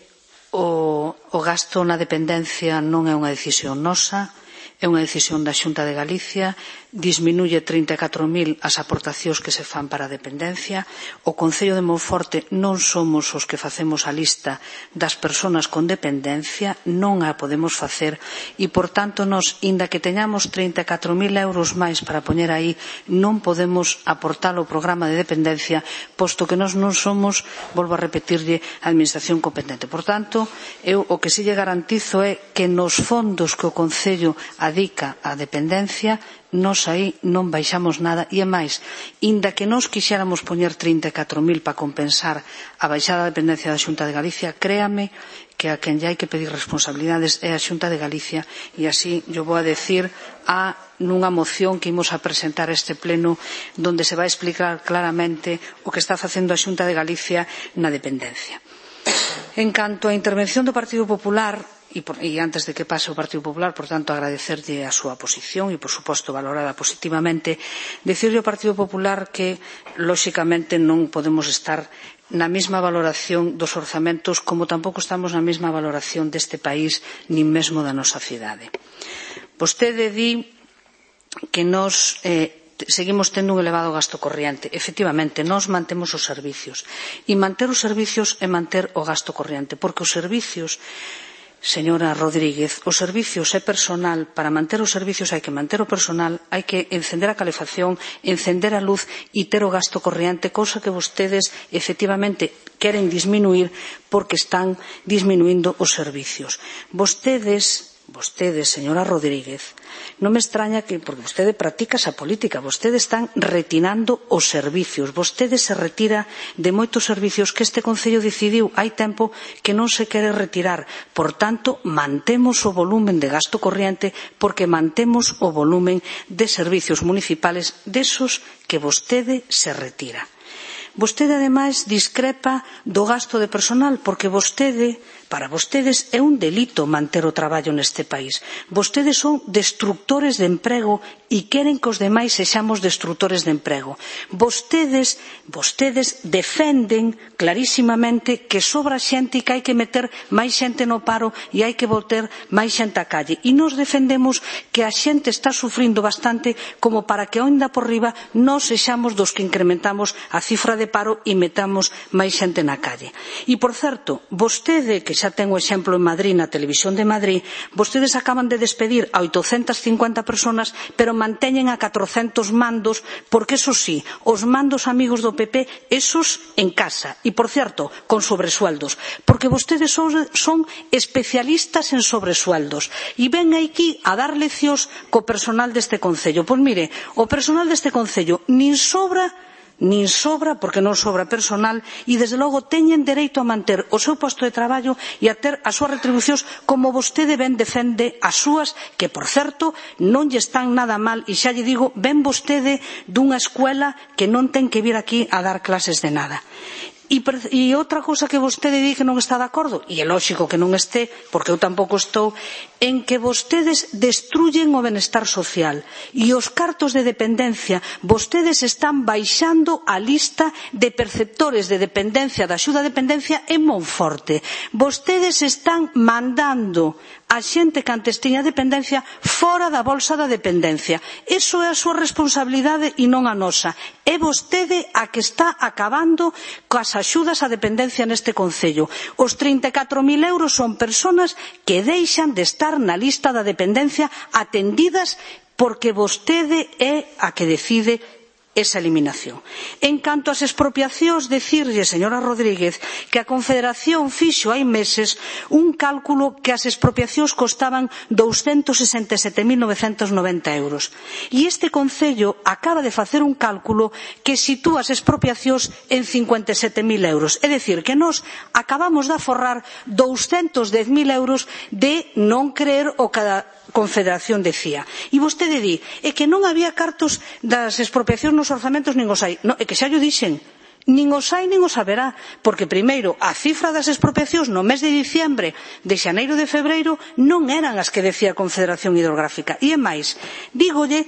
o gasto na dependencia non é unha decisión nosa, é unha decisión da Xunta de Galicia, disminuye 34.000 as aportacións que se fan para a dependencia. O Concello de Monforte non somos os que facemos a lista das persoas con dependencia, non a podemos facer e, por tanto, nós, inda que teñamos 34.000 euros máis para poñer aí, non podemos aportar ao programa de dependencia, posto que nós non somos, volvo a repetirlle, a administración competente. Por tanto, eu o que si lle garantizo é que nos fondos que o Concello adica á dependencia, nós aí non baixamos nada, e é máis, inda que nós quixéramos poñer 34.000 para compensar a baixada da dependencia da Xunta de Galicia, créame que a quen lle hai que pedir responsabilidades é a Xunta de Galicia, e así yo vou a decir nunha moción que imos a presentar a este pleno, donde se vai explicar claramente o que está facendo a Xunta de Galicia na dependencia. En canto á intervención do Partido Popular, e antes de que pase o Partido Popular, por tanto, agradecerlle a súa posición e, por suposto, valorada positivamente, dicirlle ao Partido Popular que, lóxicamente, non podemos estar na mesma valoración dos orzamentos, como tampouco estamos na mesma valoración deste país, nin mesmo da nosa cidade. Vostede di que nós seguimos tendo un elevado gasto corriente. Efectivamente, nós mantemos os servicios. E manter os servicios é manter o gasto corriente, porque os servicios señora Rodríguez, os servicios e personal, para manter os servicios hai que manter o personal, hai que encender a calefacción, encender a luz e ter o gasto corriente, cousa que vostedes efectivamente queren disminuir porque están disminuindo os servicios. Vostedes, señora Rodríguez, non me extraña que, porque vostede practica esa política, vostedes están retirando os servicios, vostedes se retira de moitos servicios que este Concello decidiu hai tempo que non se quere retirar. Por tanto, mantemos o volumen de gasto corriente porque mantemos o volumen de servicios municipales desos que vostede se retira. Vostede, ademais, discrepa do gasto de personal porque para vostedes é un delito manter o traballo neste país. Vostedes son destrutores de emprego e queren que os demais sexamos destrutores de emprego. Vostedes defenden clarísimamente que sobra xente e que hai que meter máis xente no paro e hai que botar máis xente á calle. E nos defendemos que a xente está sufrindo bastante como para que onda por riba nós sexamos dos que incrementamos a cifra de paro e metamos máis xente na calle. E, por certo, vostede, que xa ten o exemplo en Madrid, na Televisión de Madrid, vostedes acaban de despedir a 850 personas, pero manteñen a 400 mandos, porque, eso sí, os mandos amigos do PP, esos en casa. E, por certo, con sobresueldos, porque vostedes son especialistas en sobresueldos. E ven aquí a dar leccións co personal deste Concello. Pois mire, o personal deste Concello nin sobra, porque non sobra personal e, desde logo, teñen dereito a manter o seu posto de traballo e a ter as súas retribucións como vostede ben defende as súas, que, por certo, non lle están nada mal e, xa lle digo, ven vostede dunha escuela que non ten que vir aquí a dar clases de nada. E outra cousa que vostede di que non está de acordo, e é lóxico que non este, porque eu tampouco estou, en que vostedes destrullen o benestar social e os cartos de dependencia. Vostedes están baixando a lista de perceptores de dependencia, da axuda a dependencia en Monforte. Vostedes están mandando a xente que antes tiña dependencia fora da bolsa da dependencia. Iso é a súa responsabilidade e non a nosa. É vostede a que está acabando coas axudas á dependencia neste Concello. Os 34.000 euros son persoas que deixan de estar na lista da dependencia atendidas porque vostede é a que decide esa eliminación. En canto ás expropiacións, decirlle, señora Rodríguez, que a Confederación fixo hai meses un cálculo que as expropiacións costaban 267.990 euros. E este Concello acaba de facer un cálculo que sitúa as expropiacións en 57.000 euros. É dicir, que nós acabamos de aforrar 210.000 euros de non creer o que a Confederación decía. E vostede di, é que non había cartos das expropiacións nos orzamentos, nin os hai. Non, é que xa llo dixen. Nin os hai, nin os haberá. Porque, primeiro, a cifra das expropiacións no mes de diciembre, de xaneiro e de febreiro, non eran as que decía a Confederación Hidrográfica. E é máis, dígolle,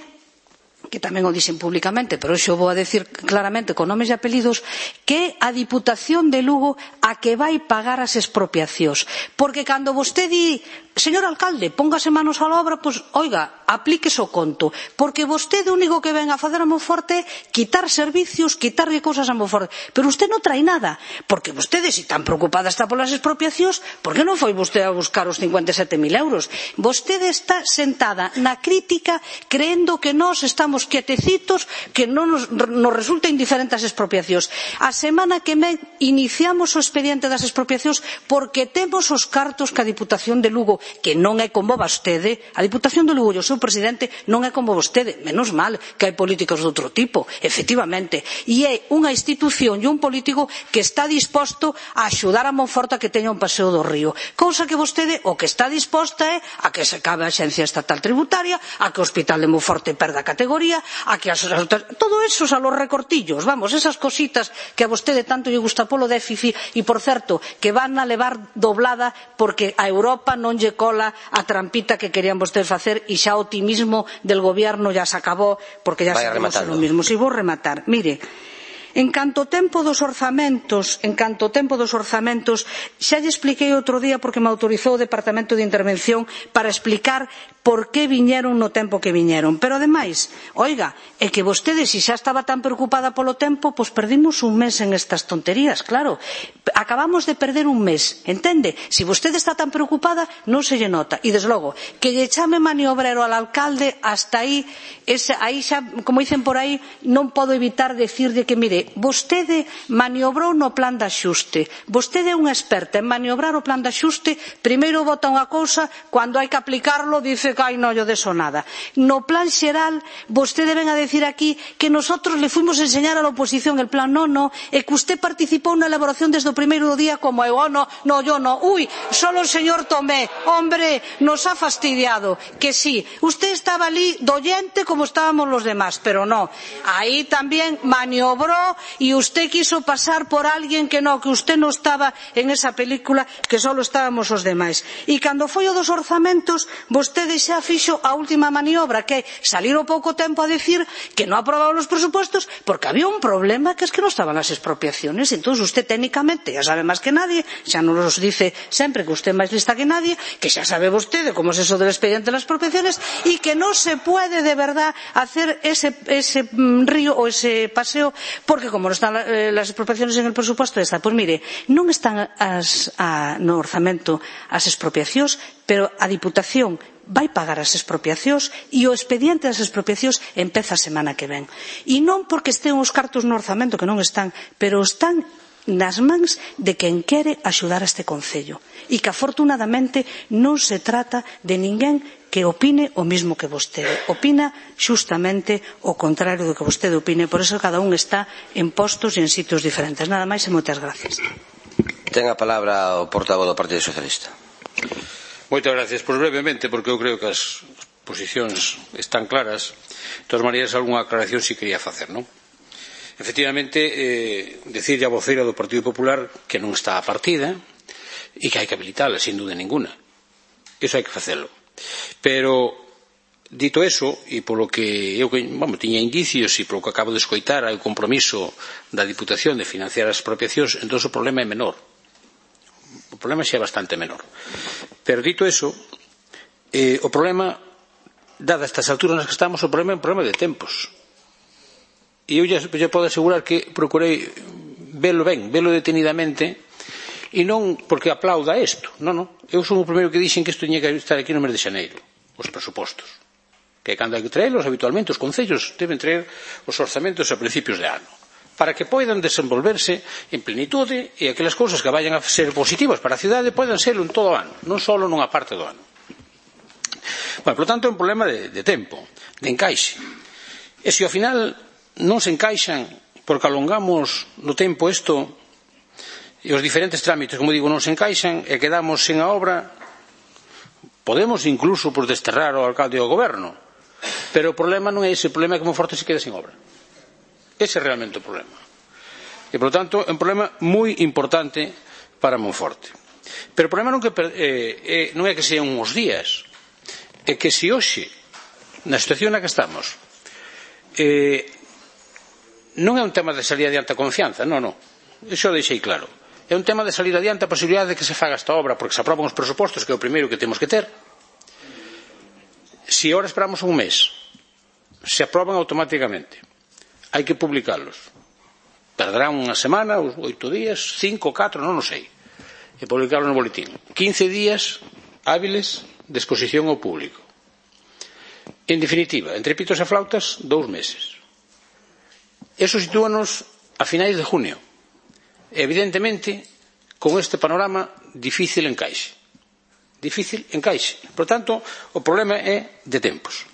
que tamén o dixen públicamente, pero xo vou a decir claramente con nomes e apelidos, que a Diputación de Lugo a que vai pagar as expropiacións. Porque cando vostede di, señor alcalde, póngase manos á obra, pois, oiga, aplíquese o conto. Porque vostede o único que ven a facer a Monforte é quitar servicios, quitarlle cousas a Monforte. Pero usted non trae nada. Porque vostede, se tan preocupada está polas expropiacións, por que non foi vostede a buscar os 57.000 euros? Vostede está sentada na crítica creendo que nós estamos quietecitos, que non nos resulta indiferente as expropiacións. A semana que ven iniciamos o expediente das expropiacións porque temos os cartos que a Diputación de Lugo, que non é como vostede, a Diputación de Lugo e o seu presidente non é como vostede, menos mal que hai políticos de outro tipo, efectivamente, e é unha institución e un político que está disposto a axudar a Monforte a que teña un paseo do río, cousa que vostede o que está disposta é a que se acabe a Axencia Estatal Tributaria, a que o Hospital de Monforte perda categoría, a que todo eso a los recortillos, vamos, esas cositas que a vostede tanto lle gusta polo déficit e, por certo, que van a levar doblada porque a Europa non lle cola a trampita que querían vostedes facer e xa o optimismo del gobierno ya se acabou porque ya sabemos lo mismo. Si vou rematar, mire, En canto ao tempo dos orzamentos, xa lle expliquei outro día porque me autorizou o Departamento de Intervención para explicar por que viñeron no tempo que viñeron. Pero, ademais, oiga, é que vostede, se xa estaba tan preocupada polo tempo, pois perdimos un mes en estas tonterías, claro. Acabamos de perder un mes, entende? Se vostede está tan preocupada, non se lle nota. E, desde logo, que lle chame maniobrero al alcalde, hasta aí xa, como dicen por aí, non podo evitar decirlle que, mire, vostede maniobrou no plan de axuste. Vostede é unha experta en maniobrar o plan de axuste, primeiro vota unha cousa, cando hai que aplicarlo dice que non lle deso nada. No plan xeral, vostede ven a decir aquí que nosotros le fuimos a enseñar a la oposición el plan no, e que usted participou na elaboración desde o primeiro día como eu, yo no, solo el señor Tomé, hombre, nos ha fastidiado, que sí, usted estaba ali doyente como estábamos los demás, pero no, ahí también maniobró y usted quiso pasar por alguien que no, que usted no estaba en esa película, que solo estábamos os demais. E cando foi o dos orzamentos, vostede xa fixo a última maniobra, que é salir o pouco tempo a decir que non aprobaban os presupostos porque había un problema, que es que non estaban as expropiaciones. Entón, usted técnicamente ya sabe máis que nadie, xa nos dice sempre que usted é máis lista que nadie, que xa sabe vostede como es eso del expediente de las expropiaciones y que no se puede de verdad hacer ese río o ese paseo porque como no están las expropiaciones en el presupuesto está. Pois mire, non están no orzamento as expropiacións, pero a Diputación vai pagar as expropiacións e o expediente das expropiacións empeza a semana que ven. E non porque estén os cartos no orzamento, que non están, pero están nas mans de quen quere axudar a este concello e que afortunadamente non se trata de ninguén que opine o mismo que vostede, opina xustamente o contrario do que vostede opine, por eso cada un está en postos e en sitios diferentes. Nada máis e moitas gracias. Ten a palabra o portavoz do Partido Socialista. Moitas gracias. Pois brevemente, porque eu creo que as posicións están claras. De todas maneiras, algunha aclaración si quería facer, non? Efectivamente, decirlle a voceira do Partido Popular que non está a partida e que hai que habilitala, sin duda ninguna. Iso hai que facelo. Pero, dito eso, e polo que eu tiña indicios e polo que acabo de escoitar hai o compromiso da Diputación de financiar as expropiacións, entón o problema é menor. O problema xa é bastante menor. Pero, dito eso, o problema, dadas estas alturas nas que estamos, o problema é un problema de tempos. E eu já podo asegurar que procurei velo ben, velo detenidamente, e non porque aplauda isto, non. Eu son o primeiro que dixen que isto tiña que estar aquí no mes de xaneiro, os presupostos. Que cando hai que traelos, habitualmente, os concellos deben traer os orzamentos a principios de ano, para que poidan desenvolverse en plenitude e aquelas cousas que vayan a ser positivas para a cidade poidan serlo en todo o ano, non só nunha parte do ano. Por lo tanto, é un problema de tempo, de encaixe. E se ao final non se encaixan porque alongamos no tempo isto e os diferentes trámites, como digo, non se encaixan e quedamos sen a obra, podemos incluso desterrar ao alcalde e ao goberno, pero o problema non é ese, o problema é que Monforte se queda sen obra. Ese é realmente o problema. E, por lo tanto, é un problema moi importante para Monforte. Pero o problema non é que sean uns días, é que se hoxe, na situación na que estamos, non é un tema de salir adiante a confianza, non. Iso deixei claro. É un tema de salir adiante a posibilidade de que se faga esta obra, porque se aproban os presupostos, que é o primeiro que temos que ter. Se agora esperamos un mes, se aproban automáticamente. Hai que publicalos. Perderán unha semana, 8 días, 5, 4, non o sei. E publicarlos no boletín. 15 días hábiles de exposición ao público. En definitiva, entre pitos e flautas, 2 meses. Eso sitúanos a finais de junio. Evidentemente, con este panorama, difícil encaixe. Por tanto, o problema é de tempos.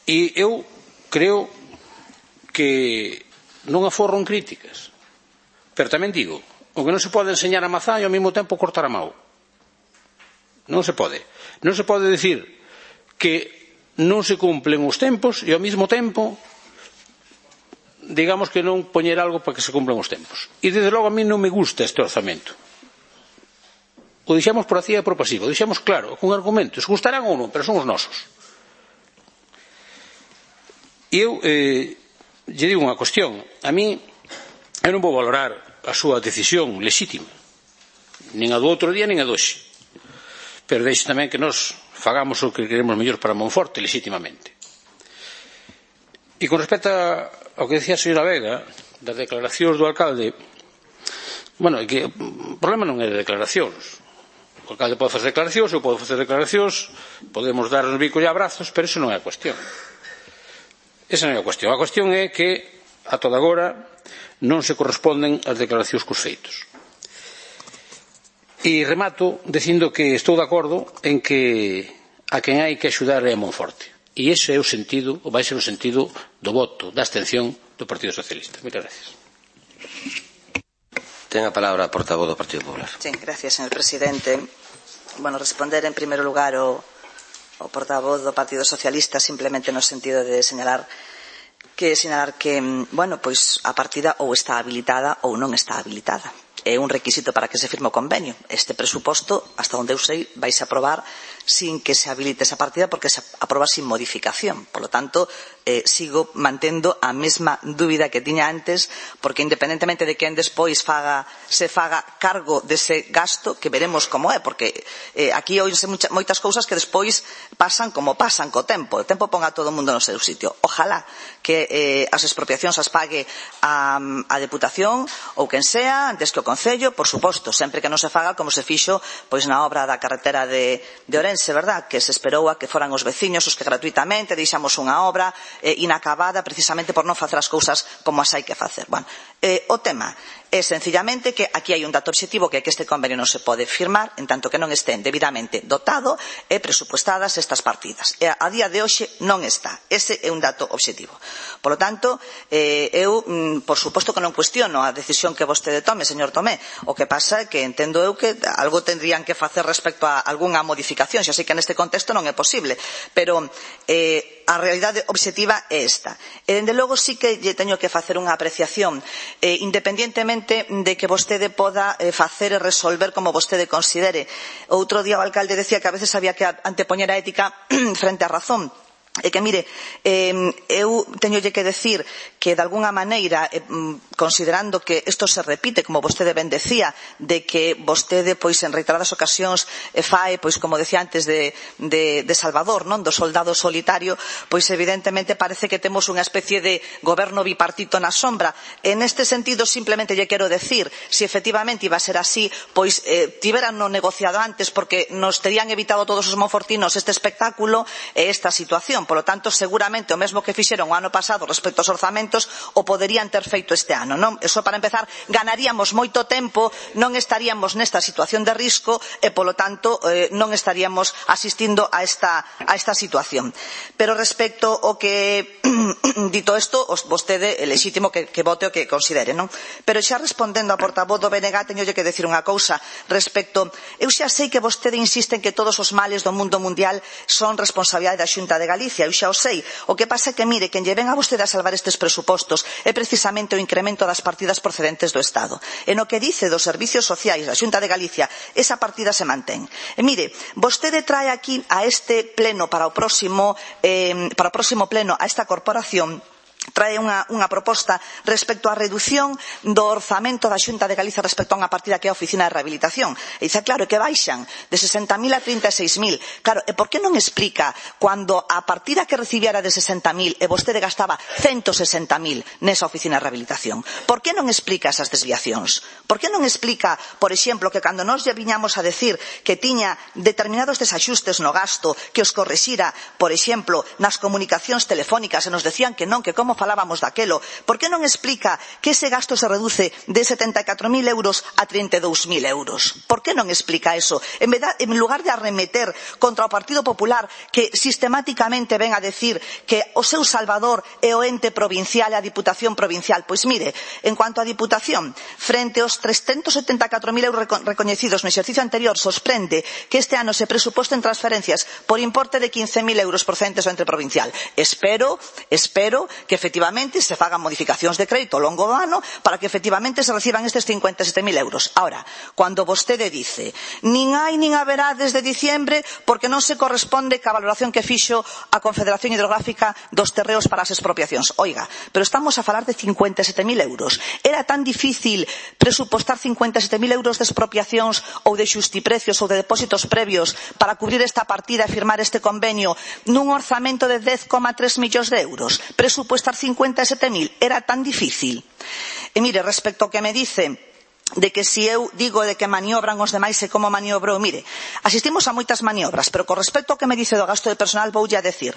E eu creo que non aforro en críticas. Pero tamén digo, o que non se pode enseñar a mazá e ao mesmo tempo cortar a mau. Non se pode. Non se pode decir que non se cumplen os tempos e ao mesmo tempo digamos que non poñer algo para que se cumplan os tempos. E desde logo a mí non me gusta este orzamento. O dixemos por activa e por pasiva, o dixemos claro, con argumentos, gustarán ou non, pero son os nosos. E eu lle digo unha cuestión, a mí Eu non vou valorar a súa decisión lexítima, nin a do outro día, nin a doxe. Pero deixe tamén que nos fagamos o que queremos mellor para Monforte, lexítimamente. E con respecto ao que decía a señora Vega, das declaracións do alcalde, bueno, é que o problema non é de declaracións. O alcalde pode facer declaracións, eu podo facer declaracións, podemos dar os bicos e abrazos, pero iso non é a cuestión. Esa non é a cuestión. A cuestión é que, a toda agora, non se corresponden as declaracións cos feitos. E remato dicindo que estou de acordo en que a quen hai que axudar é a Monforte. E ese é o sentido, ou vai ser o sentido do voto, da abstención do Partido Socialista. Moitas gracias. Ten a palabra a portavoz do Partido Popular. Sí, gracias, señor presidente. Bueno, responder en primeiro lugar o portavoz do Partido Socialista simplemente no sentido de señalar que, bueno, pois a partida ou está habilitada ou non está habilitada. É un requisito para que se firme o convenio. Este presuposto, hasta onde eu sei, vais a aprobar sin que se habilite esa partida porque se aproba sin modificación. Por lo tanto, sigo mantendo a mesma dúbida que tiña antes, porque independentemente de quen despois se faga cargo dese gasto, que veremos como é, porque aquí oínse moitas cousas que despois pasan como pasan co tempo. O tempo ponga a todo o mundo no seu sitio. Ojalá que as expropiacións as pague a Deputación ou quen sea, antes que o Concello, por suposto, sempre que non se faga como se fixo pois na obra da carretera de Ourense, verdad? Que se esperou a que foran os veciños os que gratuitamente deixamos unha obra inacabada precisamente por non facer as cousas como as hai que facer. Bueno, o tema é sencillamente que aquí hai un dato obxectivo que é que este convenio non se pode firmar en tanto que non estén debidamente dotado e presupuestadas estas partidas. E a día de hoxe non está. Ese é un dato obxectivo. Por lo tanto, eu, por suposto que non cuestiono a decisión que vostede tome, señor Tomé. O que pasa é que entendo eu que algo tendrían que facer respecto a algunha modificación. Xa sei que neste contexto non é posible, pero a realidade obxectiva é esta. E, dende logo, sí que lle teño que facer unha apreciación, independientemente de que vostede poda facer e resolver como vostede considere. Outro día o alcalde decía que a veces había que antepoñer a ética frente á razón. E que, mire, eu teñolle que decir que, de alguna maneira, considerando que isto se repite, como vostede ben decía, de que vostede, pois, en reiteradas ocasións fae, pois, como decía antes, de Salvador, non? Do soldado solitario, pois, evidentemente, parece que temos unha especie de goberno bipartito na sombra. En este sentido, simplemente lle quero decir, se efectivamente iba a ser así, pois, tiveran no negociado antes, porque nos terían evitado todos os monfortinos este espectáculo e esta situación. Por lo tanto, seguramente o mesmo que fixeron o ano pasado respecto aos orzamentos o poderían ter feito este ano, non? Eso, para empezar, ganaríamos moito tempo, non estaríamos nesta situación de risco e, polo tanto, non estaríamos asistindo a esta situación. Pero respecto ao que, dito isto, vostede é lexítimo que vote o que considere, non? Pero xa respondendo a portavoz do BNG, teñolle que decir unha cousa respecto. Eu xa sei que vostede insiste en que todos os males do mundo mundial son responsabilidade da Xunta de Galicia. Eu xa o sei. O que pasa é que, mire, quen lle ven a vostede a salvar estes presupostos é precisamente o incremento das partidas procedentes do Estado. E no que dice dos servicios sociais da Xunta de Galicia, esa partida se mantén. E mire, vostede trae aquí a este pleno para o próximo pleno a esta corporación trae unha proposta respecto á redución do orzamento da Xunta de Galicia respecto a unha partida que é a Oficina de Rehabilitación. E dice, claro, que baixan de 60.000 a 36.000. Claro, e por que non explica cando a partida que recibiera de 60.000 e vostede gastaba 160.000 nesa Oficina de Rehabilitación? Por que non explica esas desviacións? Por que non explica, por exemplo, que cando nós lle viñamos a decir que tiña determinados desaxustes no gasto, que os corrixira, por exemplo, nas comunicacións telefónicas, e nos decían que non, que como falábamos daquelo, por que non explica que ese gasto se reduce de 74.000 euros a 32.000 euros? Por que non explica eso? En lugar de arremeter contra o Partido Popular, que sistemáticamente ven a decir que o seu salvador é o ente provincial e a Diputación provincial. Pois mire, en cuanto á Diputación, frente aos 374.000 euros recoñecidos no exercicio anterior, sorprende que este ano se presuposten transferencias por importe de 15.000 euros procedentes do ente provincial. Espero que efectivamente se fagan modificacións de crédito ao longo do ano para que efectivamente se reciban estes 57.000 euros. Ahora, cando vostede dice nin hai nin haberá desde diciembre porque non se corresponde ca valoración que fixo a Confederación Hidrográfica dos terreos para as expropiacións. Oiga, pero estamos a falar de 57.000 euros. Era tan difícil presupostar 57.000 euros de expropiacións ou de xustiprecios ou de depósitos previos para cubrir esta partida e firmar este convenio nun orzamento de 10,3 millóns de euros? Presupuestar 57.000 era tan difícil? E mire, respecto ao que me dice de que si eu digo de que maniobran os demais e como maniobrou, mire, asistimos a moitas maniobras, pero con respecto ao que me dice do gasto de personal voulle a decir,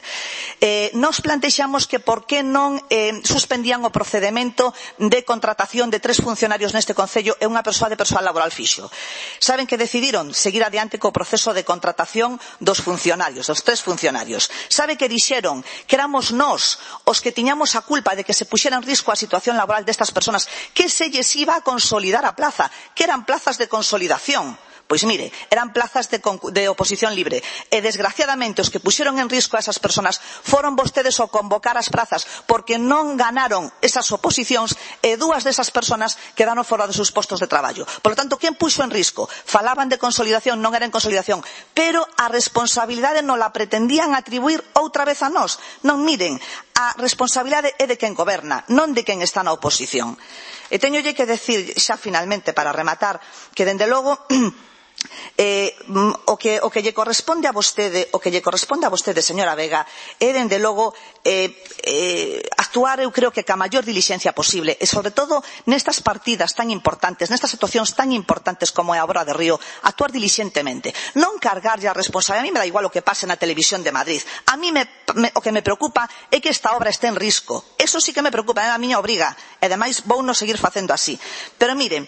nos plantexamos que por que non suspendían o procedemento de contratación de 3 funcionarios neste concello e unha persoa de persoal laboral fixo. Saben que decidiron seguir adiante co proceso de contratación dos funcionarios, dos 3 funcionarios. Sabe que dixeron que éramos nós os que tiñamos a culpa de que se puxera en risco a situación laboral destas persoas, que se lles iba a consolidar a plaza, que eran plazas de consolidación. Pois mire, eran plazas de oposición libre. E desgraciadamente os que puxeron en risco a esas persoas foron vostedes ao convocar as plazas porque non ganaron esas oposicións e 2 desas persoas quedaron fora dos seus postos de traballo. Por lo tanto, quen puxo en risco? Falaban de consolidación, non era en consolidación, pero a responsabilidade non la pretendían atribuir outra vez a nós. Non, miren, a responsabilidade é de quen goberna, non de quen está na oposición. E teñolle que decir xa finalmente para rematar que dende logo o que lle corresponde a vostede, señora Vega, é dende logo actuar, eu creo que ca maior dilixencia posible e sobre todo nestas partidas tan importantes, nestas situacións tan importantes como é a Obra de Río, actuar dilixentemente, non cargarlle a responsabilidade. A mí me dá igual o que pase na televisión de Madrid, a mí o que me preocupa é que esta obra este en risco, eso sí que me preocupa, é a miña obriga e ademais vou non seguir facendo así. Pero mire,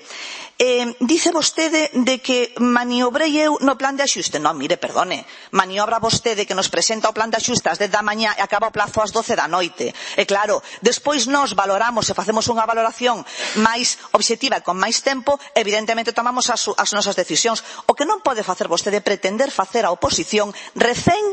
dice vostede de que maniobrei eu no plan de axuste. Non, mire, perdone, maniobra vostede que nos presenta o plan de axuste ás 10 da mañá e acaba o plazo ás 12 da noite. E claro, despois nós valoramos e facemos unha valoración máis obxectiva e con máis tempo, evidentemente tomamos as nosas decisións. O que non pode facer vostede é pretender facer a oposición refén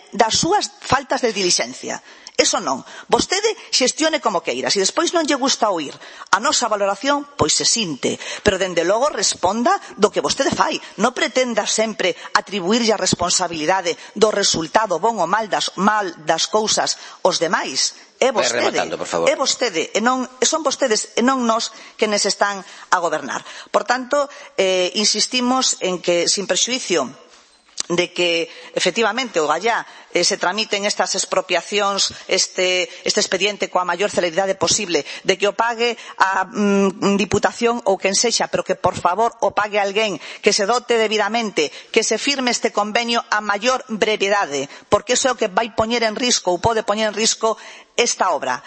das súas faltas de dilixencia. Eso non. Vostede xestione como queira. Se despois non lle gusta oír a nosa valoración, pois se sinte. Pero, dende logo, responda do que vostede fai. Non pretenda sempre atribuirlle a responsabilidade do resultado bon ou mal das cousas aos demais. É vostede, e son vostedes e non nós que nos están a gobernar. Por tanto, insistimos en que, sin prexuízo de que efectivamente o gallá se tramiten estas expropiacións, este expediente coa maior celeridade posible, de que o pague a Diputación ou quen sexa, pero que por favor o pague alguén, que se dote debidamente, que se firme este convenio a maior brevidade, porque iso é o que vai poñer en risco ou pode poñer en risco esta obra,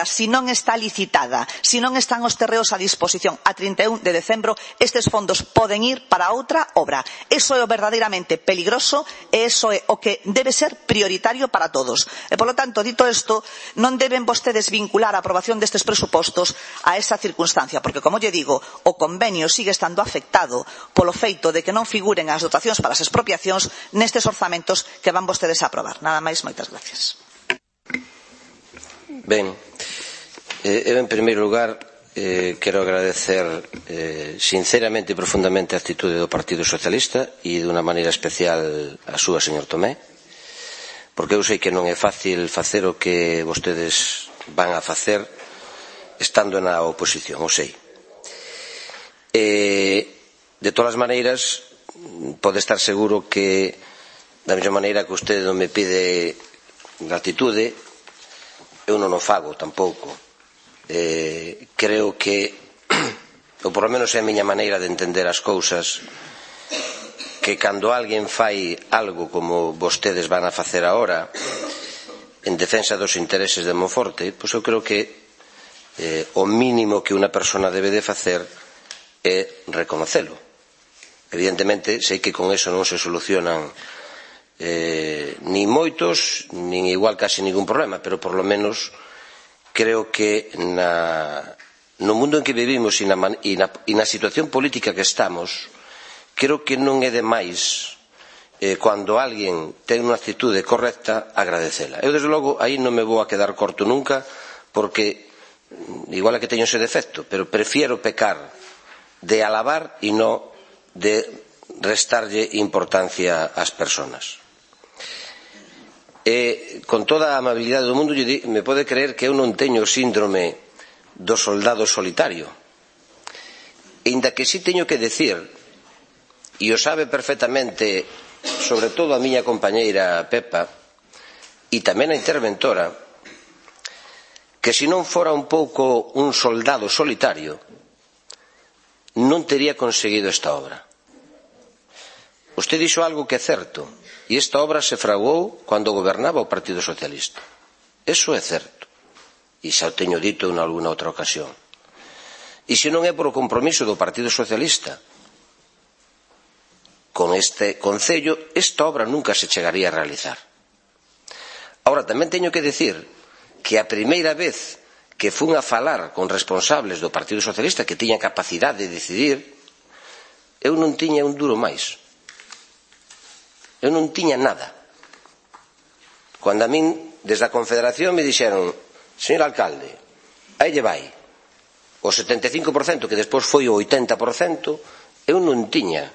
si non está licitada, si non están os terreos a disposición a 31 de decembro, estes fondos poden ir para outra obra. Eso é o verdadeiramente peligroso e eso é o que debe ser prioritario para todos. E, polo tanto, dito isto, non deben vostedes vincular a aprobación destes presupostos a esa circunstancia, porque, como lle digo, o convenio sigue estando afectado polo feito de que non figuren as dotacións para as expropiacións nestes orzamentos que van vostedes a aprobar. Nada máis, moitas gracias. Ben, eu en primeiro lugar quero agradecer sinceramente e profundamente a actitude do Partido Socialista e dunha maneira especial a súa, señor Tomé, porque eu sei que non é fácil facer o que vostedes van a facer estando na oposición, o sei. De todas as maneiras, pode estar seguro que da mesma maneira que vostede non me pide gratitude, eu non o fago tampouco. Creo que, ou por lo menos é a miña maneira de entender as cousas, que cando alguén fai algo como vostedes van a facer agora en defensa dos intereses de Monforte, pois eu creo que o mínimo que unha persona debe de facer é reconocelo. Evidentemente, sei que con eso non se solucionan nin moitos, nin igual casi ningún problema, pero por lo menos creo que no mundo en que vivimos e na situación política que estamos, creo que non é demais Cando alguén ten unha actitude correcta, agradecela. Eu, desde logo, aí non me vou a quedar corto nunca, porque igual é que teño ese defecto, pero prefiero pecar de alabar e non de restarlle importancia ás persoas. Con toda a amabilidade do mundo, me pode creer que eu non teño o síndrome do soldado solitario. Inda que si teño que decir, e o sabe perfectamente, sobre todo a miña compañeira Pepa, e tamén a interventora, que se non fora un pouco un soldado solitario, non tería conseguido esta obra. Usted dixo algo que é certo, e esta obra se fraguou cando gobernaba o Partido Socialista. Eso é certo, e xa o teño dito en alguna outra ocasión. E se non é por o compromiso do Partido Socialista con este concello, esta obra nunca se chegaría a realizar. Ahora, tamén teño que decir que a primeira vez que fun a falar con responsables do Partido Socialista que tiñan capacidade de decidir, eu non tiña un duro máis. Eu non tiña nada. Cando a min, desde a Confederación, me dixeron: señor alcalde, aí lle vai o 75%, que despois foi o 80%, eu non tiña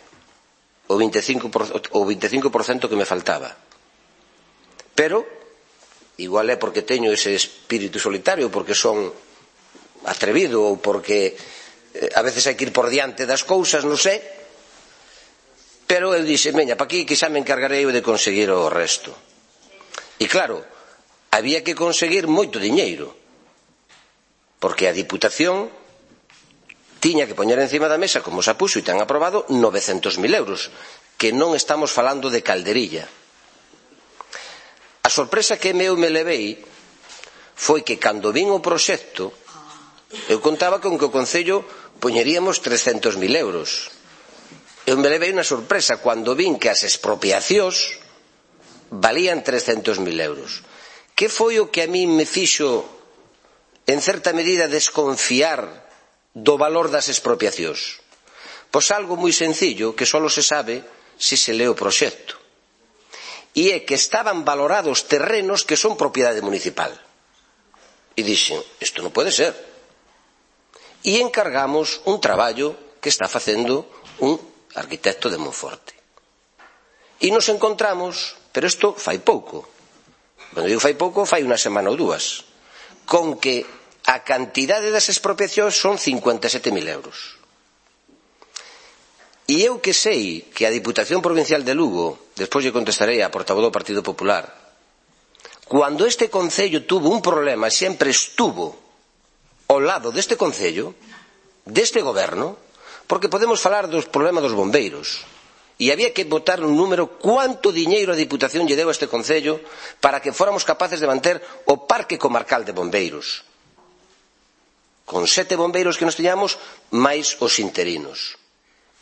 o 25% que me faltaba. Pero igual é porque teño ese espírito solitario, porque son atrevido, ou porque a veces hai que ir por diante das cousas, non sei. Pero eu dixe, veña, pa aquí que xa me encargarei eu de conseguir o resto. E claro, había que conseguir moito diñeiro, porque a Diputación tiña que poñer encima da mesa, como xa puxo e ten aprobado, 900.000 euros, que non estamos falando de calderilla. A sorpresa que eu me levei foi que cando vin o proxecto, eu contaba con que o Concello poñeríamos 300.000 euros. Eu me levei unha sorpresa cando vin que as expropiacións valían 300.000 euros. Que foi o que a mí me fixo, en certa medida, desconfiar do valor das expropiacións? Pois algo moi sencillo, que só se sabe se se lee o proxecto. E é que estaban valorados terrenos que son propiedade municipal. E dixen, isto non pode ser. E encargamos un traballo que está facendo un arquitecto de Monforte. E nos encontramos, pero isto fai pouco, cando digo fai pouco, fai unha semana ou dúas, con que a cantidade das expropiacións son 57.000 euros. E eu que sei que a Diputación Provincial de Lugo, despois lle contestarei a portavoz do Partido Popular, cando este concello tuvo un problema, sempre estuvo ao lado deste concello, deste goberno, porque podemos falar dos problemas dos bombeiros, e había que botar un número cuánto diñeiro a Diputación lle deu a este concello para que fóramos capaces de manter o parque comarcal de bombeiros, con 7 bombeiros que nos teñamos, máis os interinos.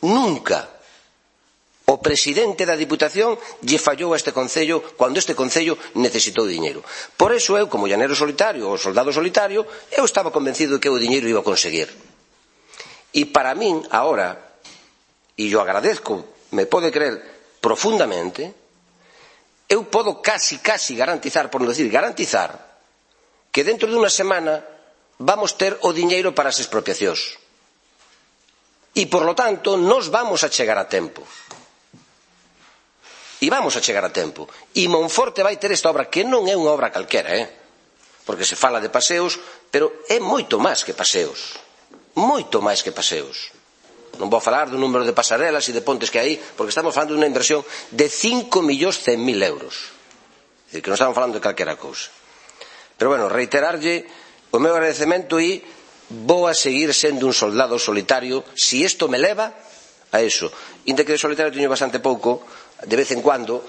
Nunca o presidente da Diputación lle fallou a este concello cando este concello necesitou diñeiro. Por eso eu, como llanero solitario ou soldado solitario, eu estaba convencido de que o diñeiro iba a conseguir. E para min, agora, e yo agradezco, me pode creer profundamente, eu podo casi garantizar, por non decir garantizar, que dentro de unha semana vamos ter o diñeiro para as expropiacións. E, por lo tanto, nos vamos a chegar a tempo. E vamos a chegar a tempo. E Monforte vai ter esta obra, que non é unha obra calquera, porque se fala de paseos, pero é moito máis que paseos. Moito máis que paseos. Non vou falar do número de pasarelas e de pontes que hai, porque estamos falando de unha inversión de 5.100.000 euros. É dicir, que non estamos falando de calquera cousa. Pero, bueno, reiterarlle o meu agradecemento e vou a seguir sendo un soldado solitario si isto me leva a eso. Inda que de solitario teño bastante pouco, de vez en cuando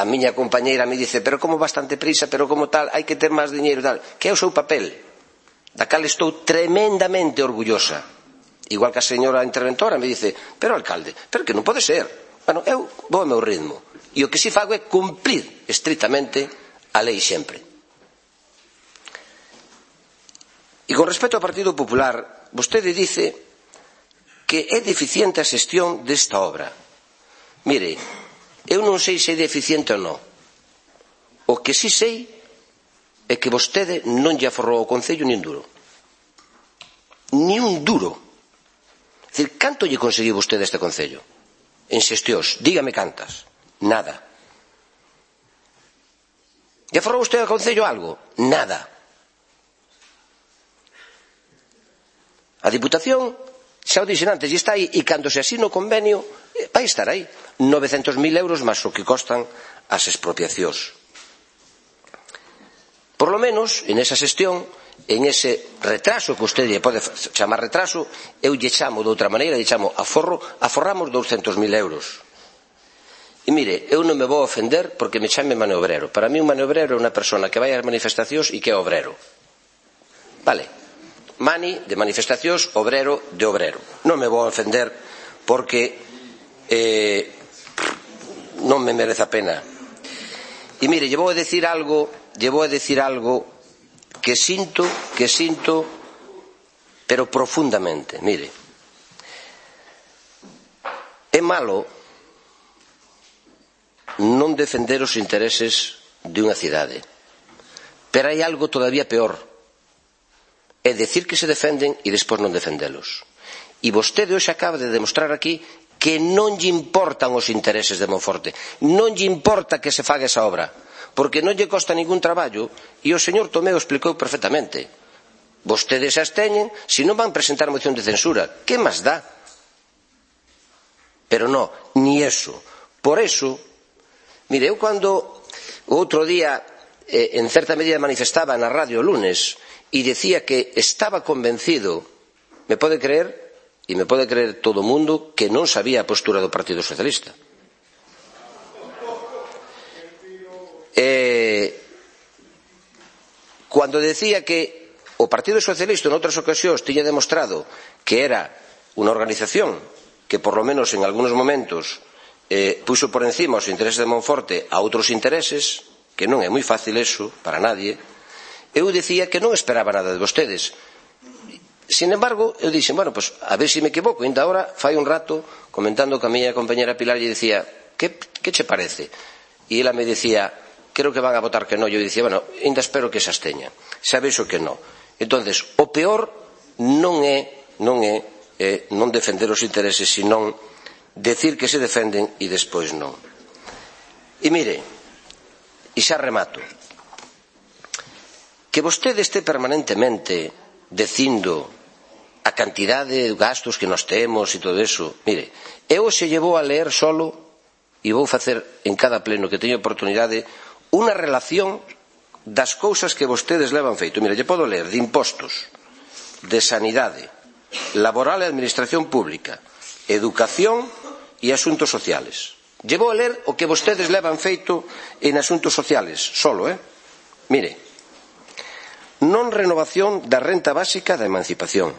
a miña compañeira me dice, pero como bastante prisa, pero como tal, hai que ter máis diñeiro e tal, que é o seu papel, da cal estou tremendamente orgullosa. Igual que a señora interventora me dice, pero alcalde, pero que non pode ser. Bueno, eu vou ao meu ritmo, e o que si fago é cumplir estritamente a lei sempre. E con respecto ao Partido Popular, vostede dice que é deficiente a xestión desta obra. Mire, Eu non sei se é deficiente ou non. O que sí sei é que vostede non lle aforrou ao Concello ni un duro. Ni un duro. É dicir, canto lle conseguiu vostede a este Concello? En xestións, dígame cantas. Nada. Lle aforrou vostede ao Concello algo? Nada. A Diputación, xa o dixen antes, e está aí, e cando se asina o convenio, vai estar aí. 900.000 euros máis o que costan as expropiacións. Por lo menos, en esa xestión, en ese retraso que usted lle pode chamar retraso, eu lle chamo de outra maneira, lle chamo aforro, aforramos 200.000 euros. E mire, eu non me vou ofender porque me chame maniobrero. Para mí un maniobrero é unha persona que vai ás manifestacións e que é obrero. Vale. Mani de manifestacións, obrero de obrero. Non me vou ofender porque non me merece a pena. E mire, lle vou a decir algo que sinto, pero profundamente. Mire, é malo non defender os intereses de unha cidade, pero hai algo todavía peor. É decir que se defenden e despois non defendelos. E vostede hoxe acaba de demostrar aquí que non lle importan os intereses de Monforte, non lle importa que se faga esa obra, porque non lle costa ningún traballo, e o señor Tomeo explicou perfectamente. Vostedes as teñen, se non van presentar moción de censura, que máis dá? Pero non, ni eso. Por eso, mire, eu cando o outro día en certa medida manifestaba na radio o lunes e decía que estaba convencido, me pode creer, e me pode creer todo o mundo, que non sabía a postura do Partido Socialista. Cando decía que o Partido Socialista en outras ocasións tiña demostrado que era unha organización que por lo menos en algúns momentos puxo por encima os intereses de Monforte a outros intereses, que non é moi fácil eso para nadie, eu dicía que non esperaba nada de vostedes. Sin embargo, eu dixen, bueno, pues a ver se me equivoco. Ainda agora, fai un rato, comentando con a miña compañera Pilar, lle dicía, que che parece? E ela me dicía, creo que van a votar que non. Eu dicía, bueno, ainda espero que se absteña. Sabes o que non. Entonces, o peor non é non defender os intereses, senón decir que se defenden e despois non. E mire, e xa remato, que vostede este permanentemente dicindo a cantidade de gastos que nós temos e todo eso. Mire, eu se llevou a leer solo, e vou facer en cada pleno que teño oportunidade, unha relación das cousas que vostedes levan feito. Mire, lle podo ler de impostos, de sanidade, laboral e administración pública, educación e asuntos sociales. Lle vou a ler o que vostedes levan feito en asuntos sociales, solo, Mire, non renovación da renta básica da emancipación,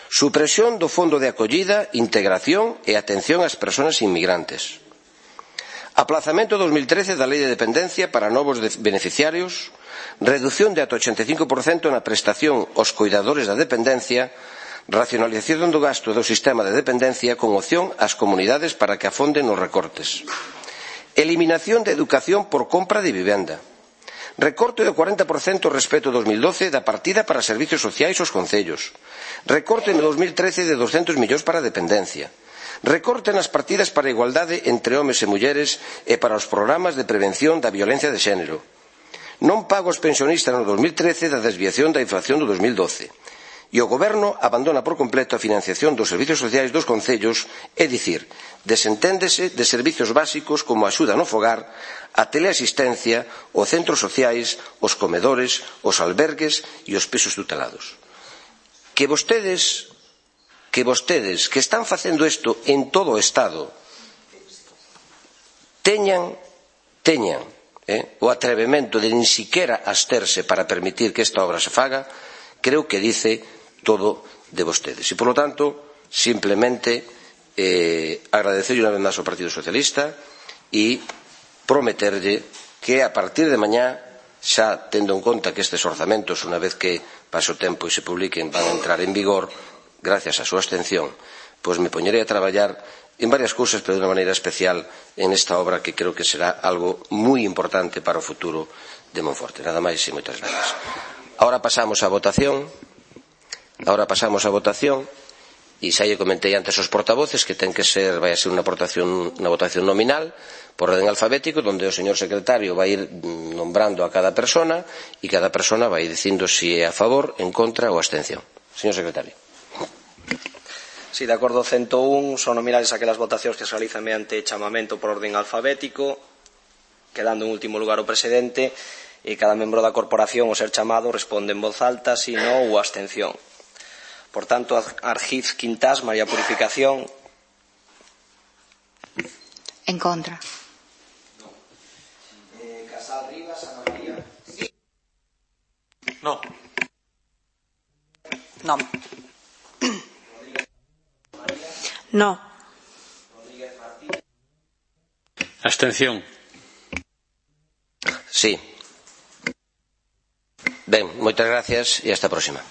supresión do fondo de acollida, integración e atención ás persoas inmigrantes, aplazamento 2013 da lei de dependencia para novos beneficiarios, reducción de ata 85% na prestación aos coidadores da dependencia, racionalización do gasto do sistema de dependencia con opción ás comunidades para que afonden nos recortes, eliminación da educación por compra de vivenda, recorte do 40% respecto ao 2012 da partida para servicios sociais aos concellos, recorte no 2013 de 200 millóns para a dependencia, recorte nas partidas para a igualdade entre homes e mulleres e para os programas de prevención da violencia de xénero, non pago aos pensionistas no 2013 da desviación da inflación do 2012, e o Goberno abandona por completo a financiación dos servicios sociais dos concellos, é dicir, desenténdese de servicios básicos como a axuda no fogar, a teleasistencia, os centros sociais, os comedores, os albergues e os pisos tutelados. Que vostedes que están facendo isto en todo o Estado teñan o atrevemento de nin siquiera absterse para permitir que esta obra se faga, creo que dice todo de vostedes. E, por lo tanto, simplemente agradecerlle unha vez máis ao Partido Socialista e prometerlle que a partir de mañá, xa tendo en conta que estes orzamentos, unha vez que pase o tempo e se publiquen, van a entrar en vigor, gracias á súa abstención, pois me poñerei a traballar en varias cousas, pero de unha maneira especial en esta obra que creo que será algo moi importante para o futuro de Monforte. Nada máis e moitas gracias. Ahora pasamos á votación. E xa lle comentei antes aos portavoces que ten que ser, vai a ser unha votación nominal por orden alfabético, onde o señor secretario vai ir nombrando a cada persona e cada persona vai dicindo se é a favor, en contra ou abstención. Señor secretario. Si, de acordo 101, son nominales aquelas votacións que se realizan mediante chamamento por orden alfabético, quedando en último lugar o presidente, e cada membro da corporación ao ser chamado responde en voz alta si no ou abstención. Por tanto, Argiz Quintás, María Purificación. En contra. Casal Rivas, Ana María. No. No. No. Abstención. Sí. Ben, moitas gracias e hasta a próxima.